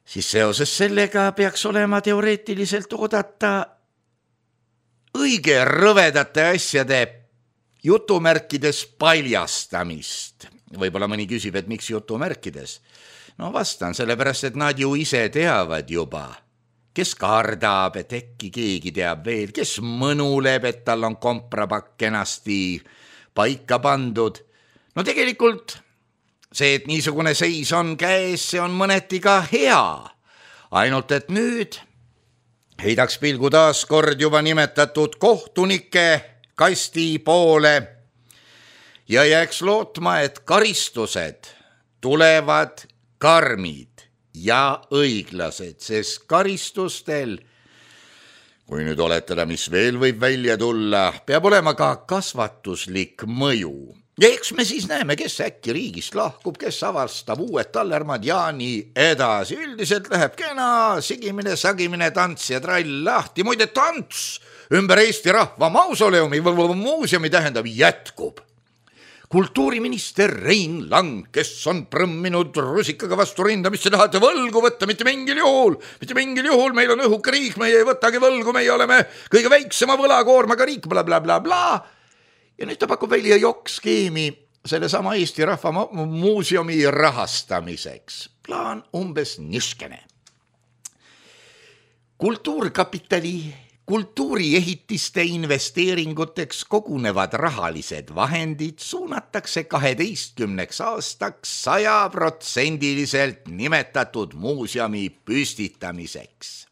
siis seoses sellega peaks olema teoreetiliselt oodata õige rõvedate asjade jutumärkides paljastamist. Võib-olla mõni küsib, et miks jutumärkides? Vastan, sellepärast, et nad ju ise teavad juba. Kes kardab, et äkki keegi teab veel, kes mõnuleb, et tal on komprapakk kenasti paika pandud. Tegelikult see, et niisugune seis on käes, see on mõneti ka hea. Ainult, et nüüd heidaks pilgu taas kord juba nimetatud kohtunike kasti poole ja jääks lootma, et karistused tulevad karmid ja õiglased, sest karistustel, kui nüüd oletada, mis veel võib välja tulla, peab olema ka kasvatuslik mõju. Ja eks me siis näeme, kes äkki riigist lahkub, kes avastab uued tallermad ja nii edasi. Üldiselt läheb kena sigimine, sagimine, tants ja trall lahti. Muide, tants ümber Eesti Rahva Mausoleumi või muuseumi tähendab jätkub. Kultuuriminister Rein Lang, kes on prõmminud rusikaga vastu rinda, mis te tahate võlgu võtta, mitte mingil juhul, meil on õhuke riik, meie ei võtagi võlgu, meie oleme kõige väiksema võlakoormaga riik, bla. Ja nüüd ta pakub välja jokkskeemi selle sama Eesti Rahva Muuseumi rahastamiseks. Plaan umbes niskene. Kultuuriehitiste investeeringuteks kogunevad rahalised vahendid suunatakse 12 aastaks 100% nimetatud muuseumi püstitamiseks.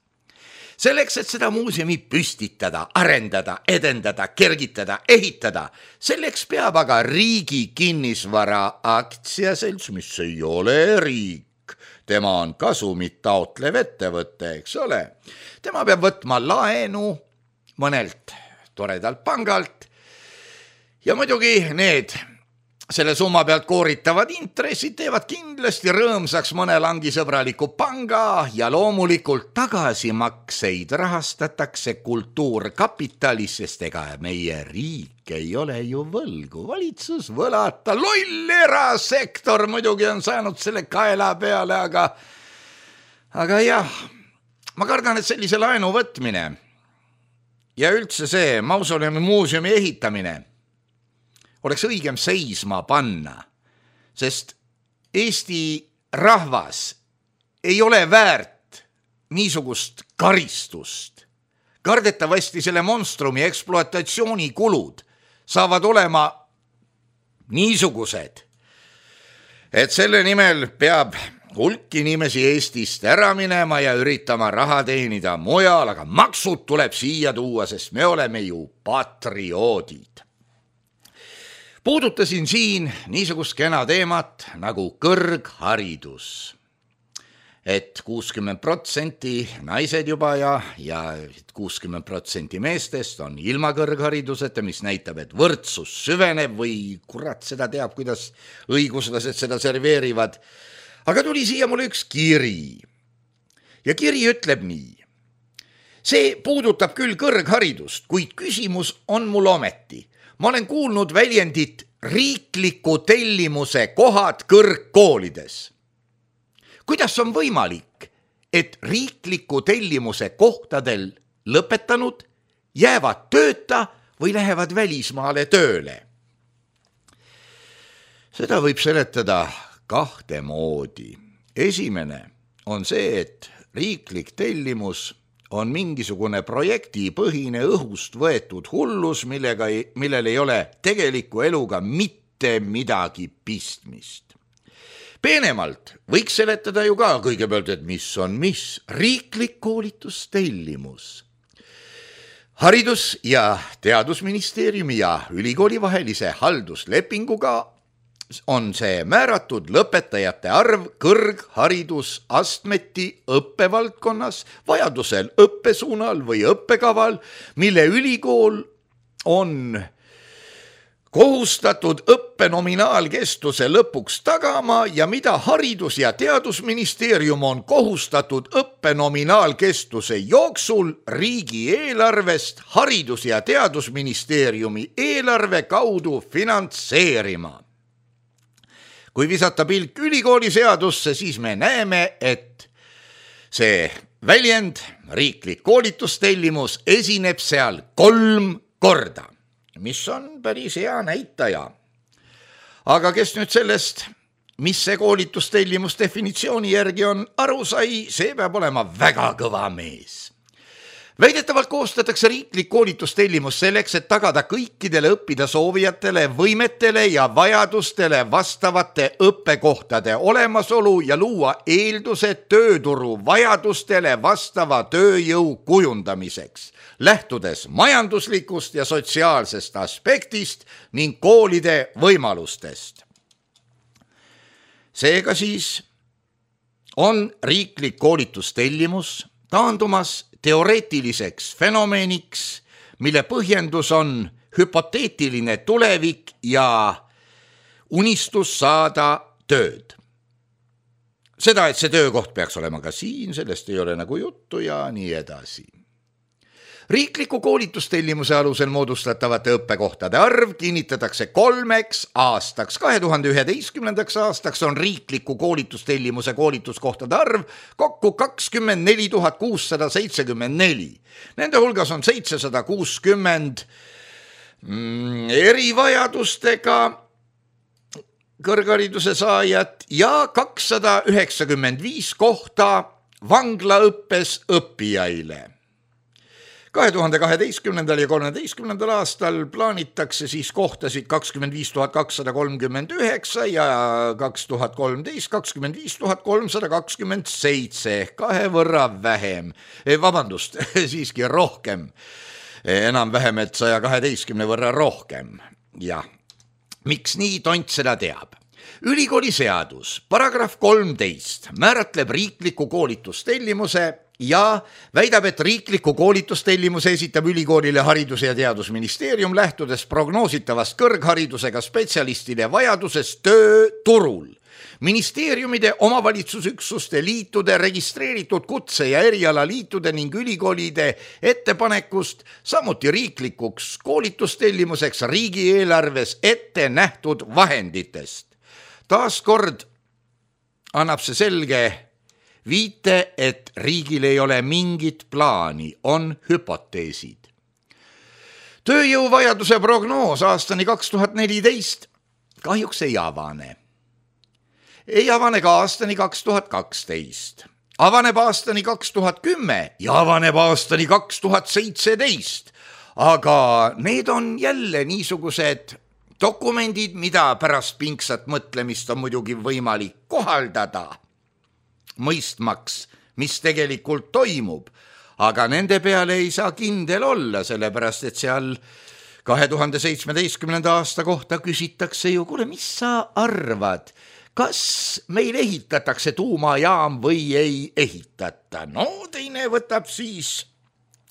Selleks, et seda muuseumi püstitada, arendada, edendada, kergitada, ehitada, selleks peab aga riigi kinnisvara aktsiaselts, mis ei ole riik. Tema on kasumit taotlev ettevõte, eks ole. Tema peab võtma laenu mõnelt toredalt pangalt ja muidugi need selle summa pealt kooritavad intressid teevad kindlasti rõõmsaks mõne langisõbraliku panga ja loomulikult tagasimakseid rahastatakse kultuurkapitalis, sest ega meie riik ei ole ju võlgu, valitsus võlata, loll erasektor muidugi on saanud selle kaela peale, aga jah, ma kardan, et sellise laenu võtmine ja üldse see mausoleumi muuseumi ehitamine oleks õigem seisma panna, sest Eesti rahvas ei ole väärt niisugust karistust. Kardetavasti selle monstrumi ekspluatatsiooni kulud saavad olema niisugused, et selle nimel peab hulk inimesi Eestist ära minema ja üritama raha teenida mujal, aga maksud tuleb siia tuua, sest me oleme ju patrioodid. Puudutasin siin niisugust kena teemat nagu kõrgharidus, et 60% naised juba ja 60% meestest on ilma kõrghariduseta, mis näitab, et võrdsus süveneb või kurat seda teab, kuidas õiguslased seda serveerivad. Aga tuli siia mulle üks kiri ja kiri ütleb nii. See puudutab küll kõrgharidust, kuid küsimus on mul ometi. Ma olen kuulnud väljendit riikliku tellimuse kohad kõrgkoolides. Kuidas on võimalik, et riikliku tellimuse kohtadel lõpetanud jäävad tööta või lähevad välismaale tööle? Seda võib seletada kahte moodi. Esimene on see, et riiklik tellimus on mingisugune projektipõhine õhust võetud hullus, millel ei ole tegeliku eluga mitte midagi pistmist. Peenemalt võiks seletada ju ka kõigepealt, et mis on riiklik koolitustellimus. Haridus- ja Teadusministeeriumi ja ülikooli vahelise halduslepinguga on see määratud lõpetajate arv kõrgharidusastmeti õppevaldkonnas, vajadusel õppesuunal või õppekaval, mille ülikool on kohustatud õppe nominaalkestuse lõpuks tagama ja mida Haridus- ja Teadusministeerium on kohustatud õppe nominaalkestuse jooksul riigieelarvest Haridus- ja Teadusministeeriumi eelarve kaudu finantseerima. Kui visata pilk ülikooliseadusse, siis me näeme, et see väljend, riiklik koolitustellimus, esineb seal 3 korda, mis on päris hea näitaja. Aga kes nüüd sellest, mis see koolitustellimus definitsiooni järgi on, aru sai, see peab olema väga kõva mees. Väidetavalt koostatakse riiklik koolitustellimus selleks, et tagada kõikidele õppida soovijatele, võimetele ja vajadustele vastavate õppekohtade olemasolu ja luua eeldused tööturu vajadustele vastava tööjõu kujundamiseks, lähtudes majanduslikust ja sotsiaalsest aspektist ning koolide võimalustest. Seega siis on riiklik koolitustellimus taandumas teoreetiliseks fenomeniks, mille põhjendus on hüpoteetiline tulevik ja unistus saada tööd. Seda, et see töökoht peaks olema ka siin, sellest ei ole nagu juttu ja nii edasi. Riikliku koolitustellimuse alusel moodustatavate õppekohtade arv kinnitatakse 3 aastaks. 2011. aastaks on riikliku koolitustellimuse koolituskohtade arv kokku 24 674. Nende hulgas on 760 erivajadustega kõrghariduse saajat ja 295 kohta vanglaõppes õppijaile. 2012. ja 2013. aastal plaanitakse siis kohtasid 25 239 ja 2013 25 327 ehk 2 võrra vähem. Vabandust, siiski rohkem. Enam-vähem, et 112 võrra rohkem. Ja miks nii, tont seda teab. Ülikooli seadus, paragrahv 13 määratleb riikliku koolitustellimuse ja väidab, et riikliku koolitustellimuse esitab ülikoolile Haridus- ja Teadusministeerium lähtudes prognoositavast kõrgharidusega spetsialistide vajadusest tööturul. Ministeeriumide, omavalitsusüksuste, liitude, registreeritud kutse- ja erialaliitude ning ülikoolide ettepanekust, samuti riiklikuks koolitustellimuseks riigieelarves ette nähtud vahenditest. Taaskord annab see selge viite, et riigil ei ole mingit plaani, on hüpoteesid. Tööjõuvajaduse prognoos aastani 2014 kahjuks ei avane. Ei avane ka aastani 2012. Avaneb aastani 2010 ja avaneb aastani 2017. Aga need on jälle niisugused dokumendid, mida pärast pingsat mõtlemist on muidugi võimalik kohaldada, mõistmaks, mis tegelikult toimub, aga nende peale ei saa kindel olla, sellepärast et seal 2017. aasta kohta küsitakse ju, kuule, mis sa arvad, kas meil ehitatakse tuumajaam või ei ehitata? No teine võtab siis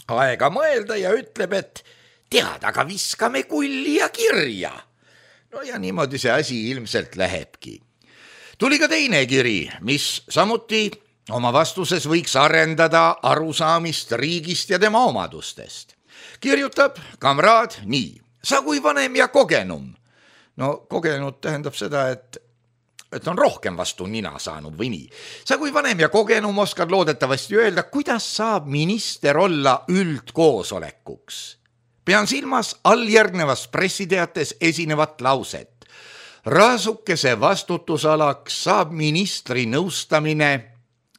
aega mõelda ja ütleb, et tead, aga viskame kulli ja kirja. No ja niimoodi see asi ilmselt lähebki. Tuli ka teine kiri, mis samuti oma vastuses võiks arendada arusaamist riigist ja tema omadustest. Kirjutab kamraad nii: sa kui vanem ja kogenum. No kogenud tähendab seda, et on rohkem vastu nina saanud või nii. Sa kui vanem ja kogenum oskad loodetavasti öelda, kuidas saab minister olla üldkoosolekuks. Pean silmas alljärgnevas pressiteates esinevat lauset. Raasukese vastutusalaks saab ministri nõustamine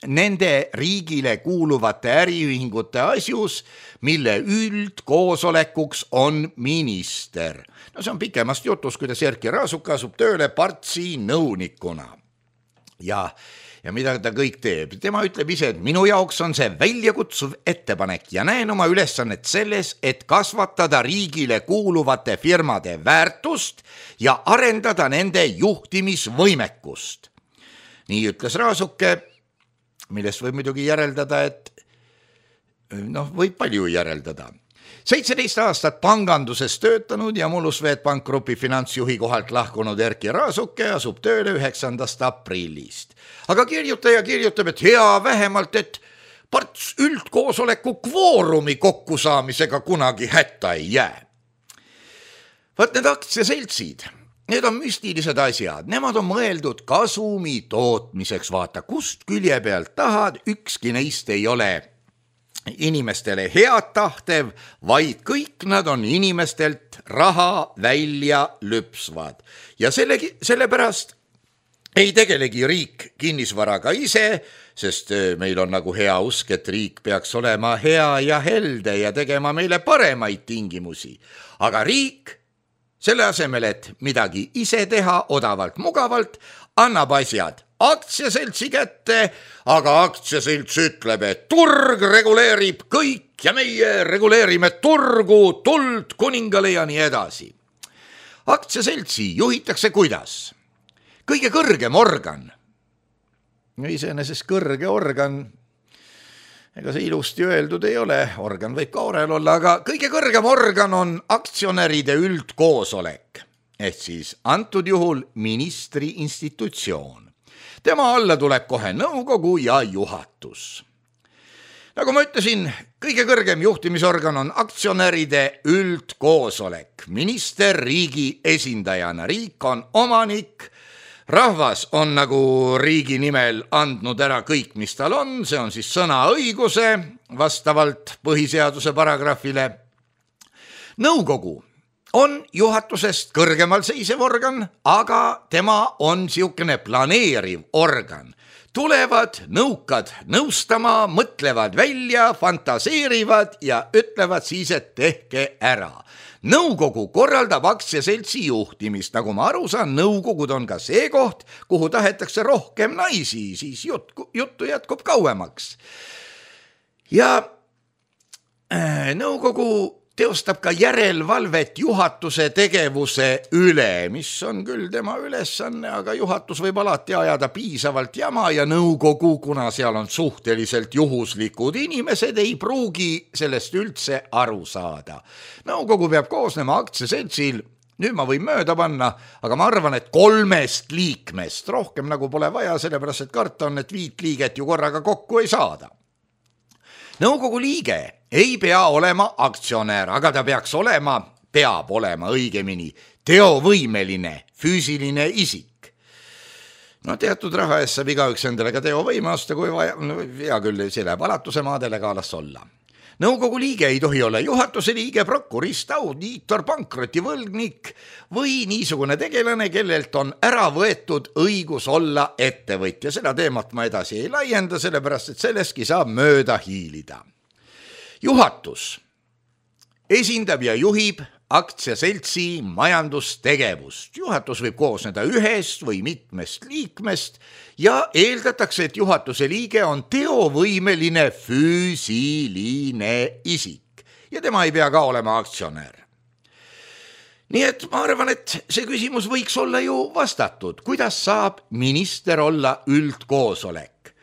nende riigile kuuluvate äriühingute asjus, mille üldkoosolekuks on minister. No see on pikemast jutus, kuidas Erki Raasuk asub tööle Partsi nõunikuna. Ja mida ta kõik teeb? Tema ütleb ise, et minu jaoks on see väljakutsuv ettepanek ja näen oma ülesannet selles, et kasvatada riigile kuuluvate firmade väärtust ja arendada nende juhtimisvõimekust. Nii ütles Raasuke, millest võib muidugi järeldada, et võib palju järeldada. 17 aastat panganduses töötanud ja Mullusveetpank Grupi finantsjuhi kohalt lahkunud Erki Raasuke asub tööle 9. aprillist. Aga kirjutaja kirjutab, et hea vähemalt, et Parts üldkoosoleku kvoorumi kokkusaamisega kunagi hätta ei jää. Vaat need aktsiaseltsid, need on müstilised asjad, nemad on mõeldud kasumi tootmiseks, vaata kust külje pealt tahad, ükski neist ei ole inimestele head tahtev, vaid kõik nad on inimestelt raha välja lüpsvad. Ja sellepärast ei tegelegi riik kinnisvaraga ise, sest meil on nagu hea usk, et riik peaks olema hea ja helde ja tegema meile paremaid tingimusi. Aga riik, selle asemel, et midagi ise teha odavalt, mugavalt, annab asjad aktsiaseltsi kätte, aga aktsiaselts ütleb, et turg reguleerib kõik ja meie reguleerime turgu, tuld kuningale ja nii edasi. Aktsiaseltsi juhitakse kuidas? Kõige kõrgem organ. Iseenesest kõrge organ, ega see ilusti öeldud ei ole, organ võib ka orel olla, aga kõige kõrgem organ on aktsionäride üldkoosolek, ehk siis antud juhul ministri institutsioon. Tema alla tuleb kohe nõukogu ja juhatus. Nagu ma ütlesin, kõige kõrgem juhtimisorgan on aktsionäride üldkoosolek. Minister riigi esindajana, riik on omanik, rahvas on nagu riigi nimel andnud ära kõik, mis tal on, see on siis sõnaõiguse vastavalt põhiseaduse paragrahvile. Nõukogu on juhatusest kõrgemal seisev organ, aga tema on siukene planeeriv organ. Tulevad nõukad nõustama, mõtlevad välja, fantaseerivad ja ütlevad siis, et tehke ära. Nõukogu korraldab aktsiaseltsi juhtimist, nagu ma aru saan, nõukogud on ka see koht, kuhu tahetakse rohkem naisi, siis juttu jätkub kauemaks. Ja nõukogu teostab ka järelevalvet juhatuse tegevuse üle, mis on küll tema ülesanne, aga juhatus võib alati ajada piisavalt jama ja nõukogu, kuna seal on suhteliselt juhuslikud inimesed, ei pruugi sellest üldse aru saada. Nõukogu peab koosnema aktsiaseltsil, nüüd ma võin mööda panna, aga ma arvan, et 3 liikmest, rohkem nagu pole vaja, sellepärast et karta on, et 5 liiget ju korraga kokku ei saada. Nõukogu liige ei pea olema aktsionär, aga ta peab olema õigemini teovõimeline füüsiline isik. No teatud raha eest saab igaüks endale ka teovõime osta, kui vaja, hea küll, see läheb alatuse maadele ka las olla. Nõukogu liige ei tohi olla juhatuse liige, prokurist, audiitor, pankrotivõlgnik või niisugune tegelane, kellelt on ära võetud õigus olla ettevõtja. Seda teemat ma edasi ei laienda, sellepärast et sellestki saab mööda hiilida. Juhatus esindab ja juhib aktsiaseltsi majandustegevust. Juhatus võib koosneda 1 või mitmest liikmest ja eeldatakse, et juhatuse liige on teovõimeline füüsiline isik ja tema ei pea ka olema aktsionär. Nii et ma arvan, et see küsimus võiks olla ju vastatud. Kuidas saab minister olla üldkoosolek?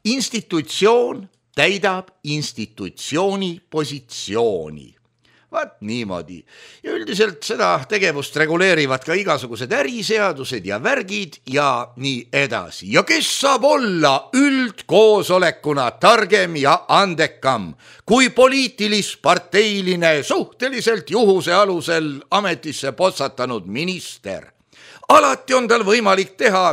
Institutsioon täidab institutsiooni positsiooni. Vaat niimoodi. Ja üldiselt seda tegevust reguleerivad ka igasugused äriseadused ja värgid ja nii edasi. Ja kes saab olla üldkoosolekuna targem ja andekam kui poliitilis-parteiline suhteliselt juhuse alusel ametisse potsatanud minister? Alati on tal võimalik teha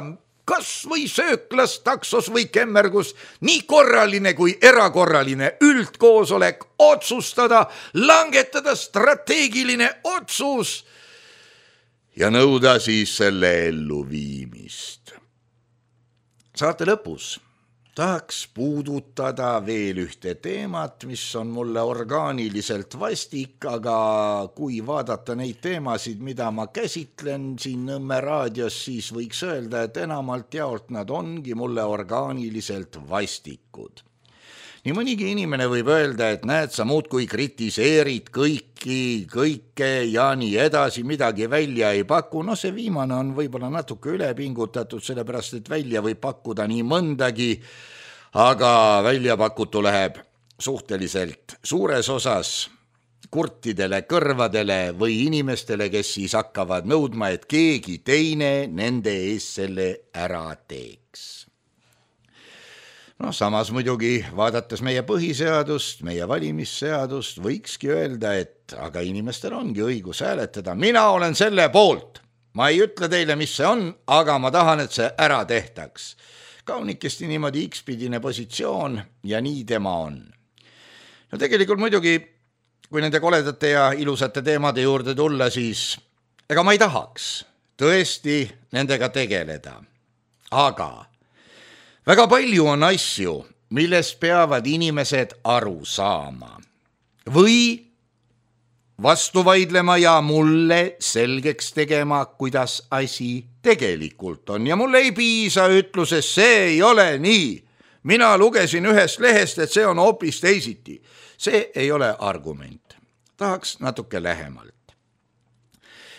kas või sööklas, taksos või kemmergus, nii korraline kui erakorraline üldkoosolek otsustada, langetada strateegiline otsus ja nõuda siis selle elluviimist. Saate lõpus tahaks puudutada veel ühte teemat, mis on mulle orgaaniliselt vastik, aga kui vaadata neid teemasid, mida ma käsitlen siin Nõmme raadios, siis võiks öelda, et enamalt jaolt nad ongi mulle orgaaniliselt vastikud. Nii mõnigi inimene võib öelda, et näed, sa muudkui kritiseerid kõike ja nii edasi, midagi välja ei paku. No see viimane on võib-olla natuke ülepingutatud, sellepärast et välja võib pakkuda nii mõndagi, aga välja pakutu läheb suhteliselt suures osas kurtidele kõrvadele või inimestele, kes siis hakkavad nõudma, et keegi teine nende ees selle ära teeks. No samas muidugi, vaadates meie põhiseadust, meie valimisseadust, võikski öelda, et aga inimestel ongi õigus hääletada. Mina olen selle poolt. Ma ei ütle teile, mis see on, aga ma tahan, et see ära tehtaks. Kaunikesti niimoodi X-pidine positsioon ja nii tema on. No tegelikult muidugi, kui nende koledate ja ilusate teemade juurde tulla, siis ega ma ei tahaks tõesti nendega tegeleda. Aga väga palju on asju, millest peavad inimesed aru saama või vastu vaidlema ja mulle selgeks tegema, kuidas asi tegelikult on. Ja mulle ei piisa ütluses, see ei ole nii. Mina lugesin ühest lehest, et see on hoopis teisiti. See ei ole argument. Tahaks natuke lähemalt.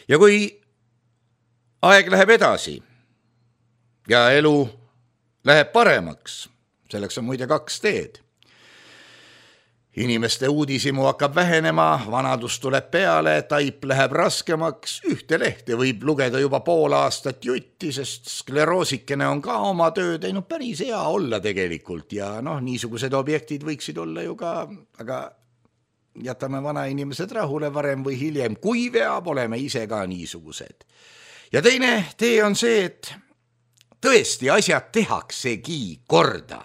Ja kui aeg läheb edasi ja elu läheb paremaks, selleks on muide 2 teed. Inimeste uudishimu hakkab vähenema, vanadus tuleb peale, taip läheb raskemaks, ühte lehte võib lugeda juba pool aastat jutti, sest skleroosikene on ka oma töö teinud, päris hea olla tegelikult ja niisugused objektid võiksid olla ju ka, aga jätame vanainimesed rahule varem või hiljem, kui veab, oleme ise ka niisugused. Ja teine tee on see, et tõesti asjad tehaksegi korda.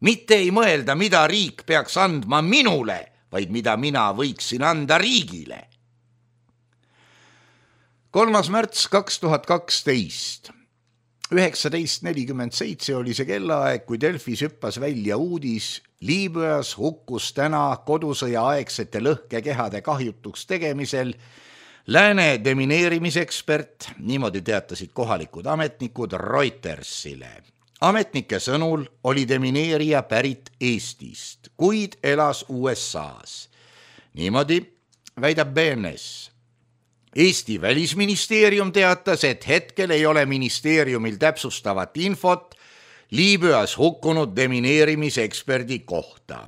Mitte ei mõelda, mida riik peaks andma minule, vaid mida mina võiksin anda riigile. 3. märts 2012, 19:47 oli see kellaaeg, kui Delfis hüppas välja uudis. Liibüas hukkus täna kodusõja aegsete lõhkekehade kahjutuks tegemisel lääne demineerimisekspert, niimoodi teatasid kohalikud ametnikud Reutersile. Ametnike sõnul oli demineerija pärit Eestist, kuid elas USAs. Niimoodi väidab BNS. Eesti välisministeerium teatas, et hetkel ei ole ministeeriumil täpsustavat infot Liibüas hukkunud demineerimiseksperdi kohta.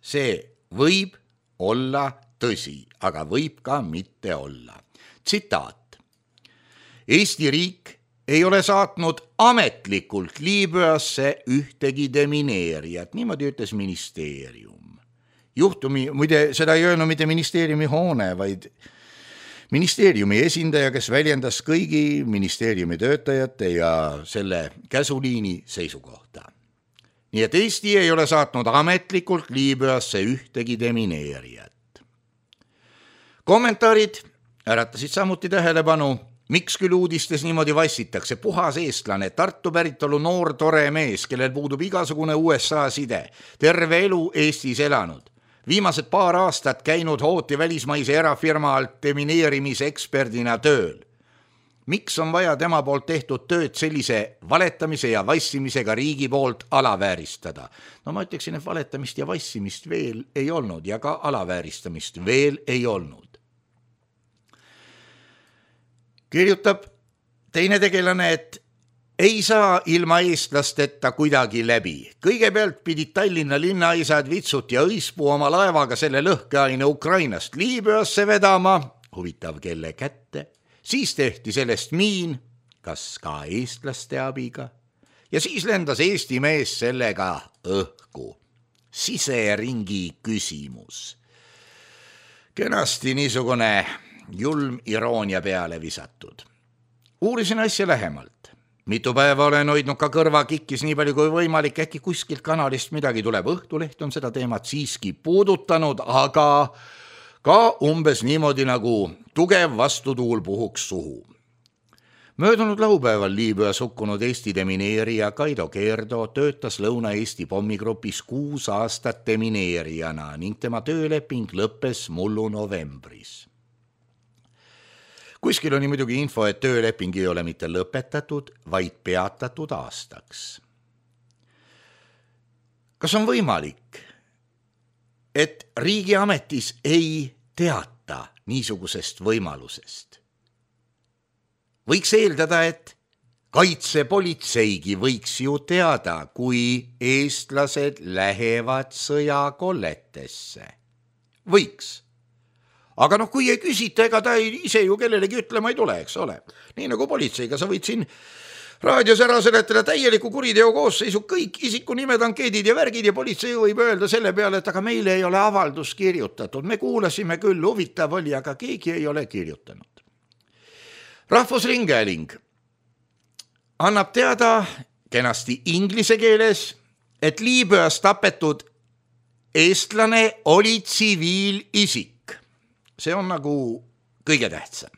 See võib olla tõsi, aga võib ka mitte olla. Tsitaat. Eesti riik ei ole saatnud ametlikult Liibüasse ühtegi demineerijat, niimoodi ütles ministeerium. Juhtumi, muide, seda ei öelnud mitte ministeeriumi hoone, vaid ministeeriumi esindaja, kes väljendas kõigi ministeeriumi töötajate ja selle käsuliini seisukohta. Nii et Eesti ei ole saatnud ametlikult Liibüasse ühtegi demineerijat. Kommentaarid äratasid samuti tähelepanu. Miks küll uudistes niimoodi vassitakse? Puhas eestlane, Tartu päritolu noor tore mees, kellel puudub igasugune USA side, terve elu Eestis elanud. Viimased paar aastat käinud hooti välismaise erafirma alt demineerimiseksperdina tööl. Miks on vaja tema poolt tehtud tööd sellise valetamise ja vassimisega riigi poolt alavääristada? Ma ütleksin, et valetamist ja vassimist veel ei olnud ja ka alavääristamist veel ei olnud. Kirjutab teine tegelane, et ei saa ilma eestlasteta kuidagi läbi. Kõigepealt pidid Tallinna linnaisad Vitsut ja Õispuu oma laevaga selle lõhkeaine Ukrainast Liibüasse vedama, huvitav kelle kätte, siis tehti sellest miin, kas ka eestlaste abiga, ja siis lendas Eesti mees sellega õhku. Siseringi küsimus. Kenasti niisugune julm iroonia peale visatud. Uurisin asja lähemalt. Mitu päeva olen hoidnud ka kõrva kikkis nii palju kui võimalik, äkki kuskilt kanalist midagi tuleb. Õhtuleht on seda teemat siiski puudutanud, aga ka umbes niimoodi nagu tugev vastutuul puhuks suhu. Möödunud laupäeval Liibüas hukkunud Eesti demineerija Kaido Keerdo töötas Lõuna-Eesti pommigrupis 6 aastat demineerijana ning tema tööleping lõppes mullu novembris. Kuskil on muidugi info, et tööleping ei ole mitte lõpetatud, vaid peatatud aastaks. Kas on võimalik, et riigiametis ei teata niisugusest võimalusest? Võiks eeldada, et kaitsepolitseigi võiks ju teada, kui eestlased lähevad sõjakolletesse. Võiks. Aga kui ei küsita, ega ta ise ju kellelegi ütlema ei tule, eks ole. Nii nagu politseiga, sa võid siin raadios ära seletada täieliku kuriteo koosseisu, kõik isikunimed, ankeedid ja värgid ja politsei võib öelda selle peale, et aga meile ei ole avaldus kirjutatud. Me kuulasime küll, huvitav oli, aga keegi ei ole kirjutanud. Rahvusringhääling annab teada kenasti inglise keeles, et Liibüas tapetud eestlane oli tsiviilisik. See on nagu kõige tähtsam.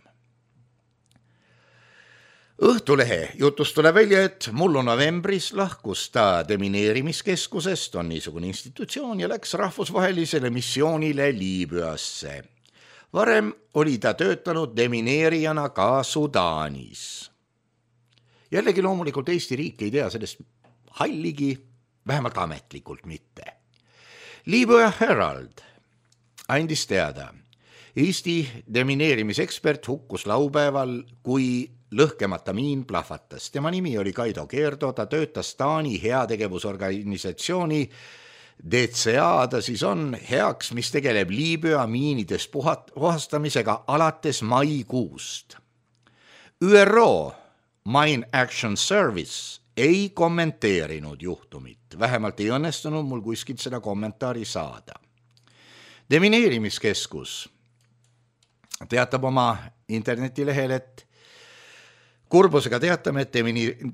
Õhtulehe jutust tuleb välja, et mullu novembris lahkus ta demineerimiskeskusest, on niisugune institutsioon, ja läks rahvusvahelisele missioonile Liibüasse. Varem oli ta töötanud demineerijana ka Sudaanis. Jällegi loomulikult Eesti riik ei tea sellest halligi, vähemalt ametlikult mitte. Liibüa Herald andis teada, Eesti demineerimisekspert hukkus laupäeval, kui lõhkemata miin plahvatas. Tema nimi oli Kaido Keerdo, ta töötas Taani heategevusorganisatsiooni DCA, ta siis on heaks, mis tegeleb Liibüa miinidest puhastamisega alates maikuust. ÜRO Mine Action Service ei kommenteerinud juhtumit, vähemalt ei õnnestunud mul kuskilt seda kommentaari saada. Demineerimiskeskus teatab oma internetilehel, et kurbusega teatame, et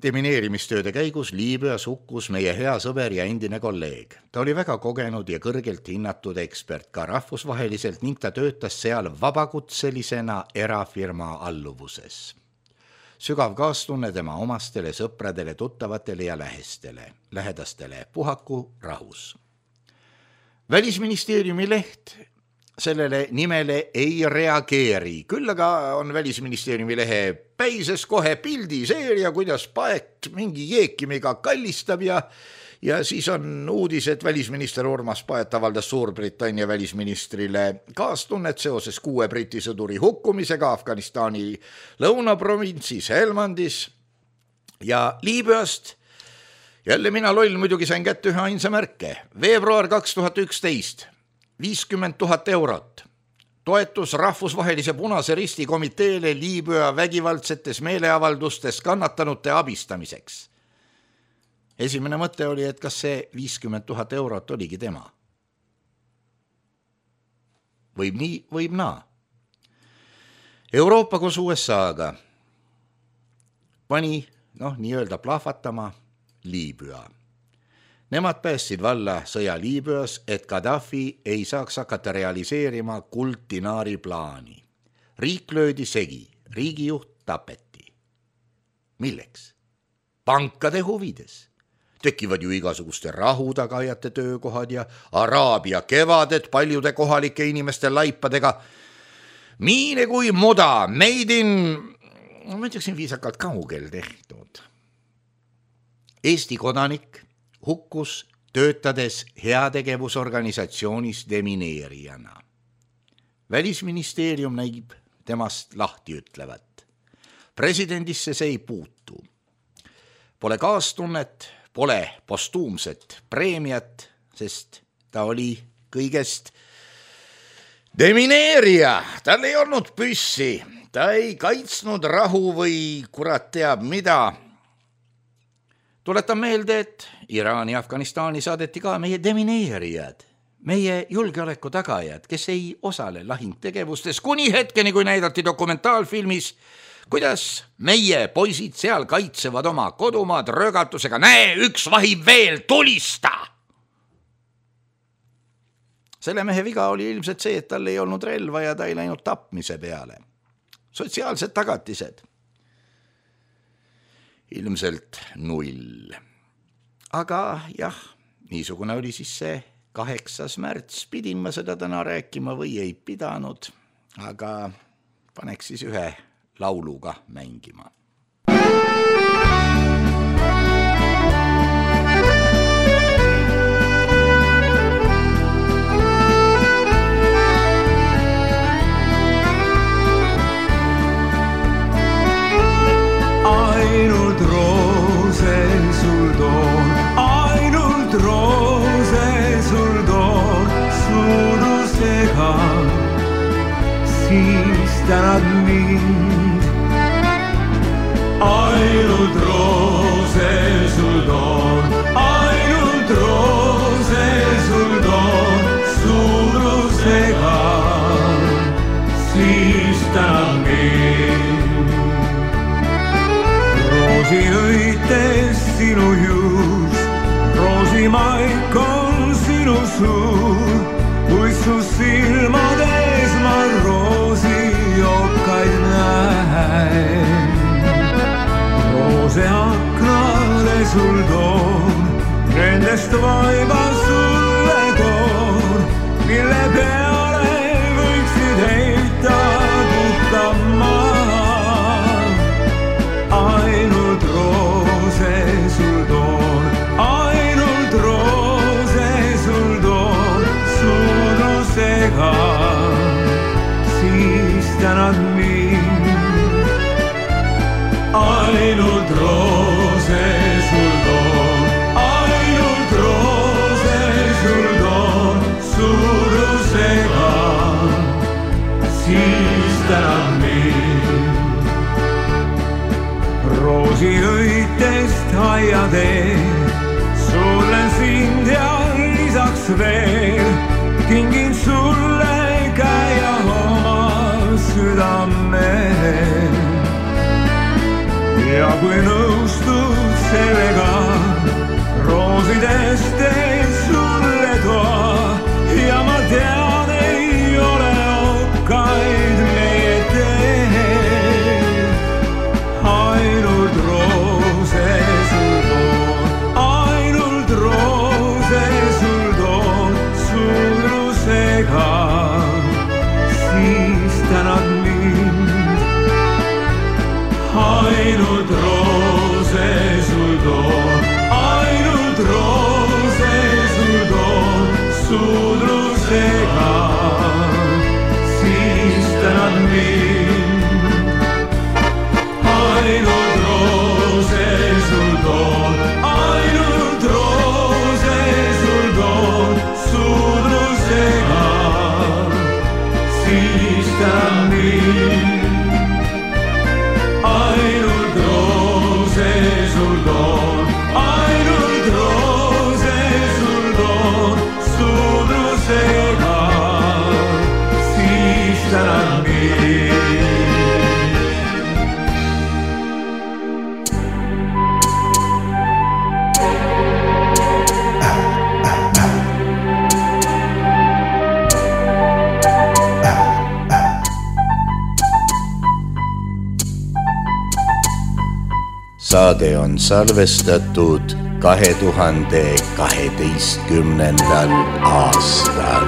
demineerimistööde käigus Liibüas hukkus meie hea sõber ja endine kolleeg. Ta oli väga kogenud ja kõrgelt hinnatud ekspert ka rahvusvaheliselt ning ta töötas seal vabakutselisena erafirma alluvuses. Sügav kaastunne tema omastele, sõpradele, tuttavatele ja lähedastele. Puhaku rahus. Välisministeeriumi leht sellele nimele ei reageeri, küll aga on Välisministeeriumi lehe päises kohe pildiseeria, kuidas paet mingi jeekimiga kallistab ja siis on uudis, et välisminister Urmas Paet avaldas Suurbritannia välisministrile kaastunnet seoses 6 Briti sõduri hukkumisega Afganistani lõunaprovintsis Helmandis ja Liibüast. Jälle mina loll muidugi sain kätte ühe ainsa märke. Veebruar 2011, 50 000 eurot. Toetus rahvusvahelise Punase Risti komiteele Liibüa vägivaldsetes meeleavaldustes kannatanute abistamiseks. Esimene mõte oli, et kas see 50 000 eurot oligi tema. Võib nii, võib naa. Euroopa koos USA-ga pani, nii-öelda plahvatama Liibüa. Nemad päästsid valla sõja Liibüas, et Gaddafi ei saaks hakata realiseerima Kuldinaari plaani. Riik löödi segi, riigijuht tapeti. Milleks? Pankade huvides. Tekivad ju igasuguste rahutagajate töökohad ja Araabia kevaded paljude kohalike inimeste laipadega. Miine kui muda, made in, ma ütleksin viisakalt kaugel tehtud. Eesti kodanik hukkus töötades heategevusorganisatsioonis demineerijana. Välisministeerium näib temast lahti ütlevat. Presidendisse see ei puutu. Pole kaastunnet, pole postuumset preemiat, sest ta oli kõigest demineerija. Tal ei olnud püssi, ta ei kaitsnud rahu või kurat teab mida. Tuletan meelde, et Iraani ja Afganistani saadeti ka meie demineerijad, meie julgeoleku tagajad, kes ei osale lahingtegevustes kuni hetkeni, kui näidati dokumentaalfilmis, kuidas meie poisid seal kaitsevad oma kodumaad röögatusega. Näe, üks vahib veel, tulista! Selle mehe viga oli ilmselt see, et tal ei olnud relva ja ta ei läinud tapmise peale. Sotsiaalsed tagatised. Ilmselt 0. Aga jah, niisugune oli siis see 8. märts. Pidin ma seda täna rääkima või ei pidanud, aga paneks siis ühe lauluga mängima. Ainult roose sul toon, ainult roose sul toon, suurusega, siis tänad mind. Ainult roose sul toon, ainult roose sul toon, suurusega, siis tänad mind. Roosiõites sinu juus, roosimaik on sinu suu, kui su silmades ma roosijokaid näen. sul toon, nendest vaiba sulle toon, mille peale võiksid heita puhta maa. Ainult roose sul toon, ainult roose sul toon, suudlusega siis tänad mind. Ainult roose sul toon, ainult roose sul toon, suudlusega siis tänad mind. Roosiõitest aiateel suudlen sind ja lisaks veel kingin sulle käia oma südamel. Ja kui nõustud sellega, roosidest teen sulle toa ja ma tean, ei ole okkaid meie teel. Ainult roose sul toon, ainult roose sul toon, suudlusega siis tänad mind. Ainult roose sul toon, ainult roose sul toon, suudlusega siis tänad mind. Ainult roose sul toon, ainult roose sul toon, suudlusega siis tänad mind. Ainult roose sul toon, ainult roose sul toon, suudlusega siis tänad mind. Saade on salvestatud 2012. aastal.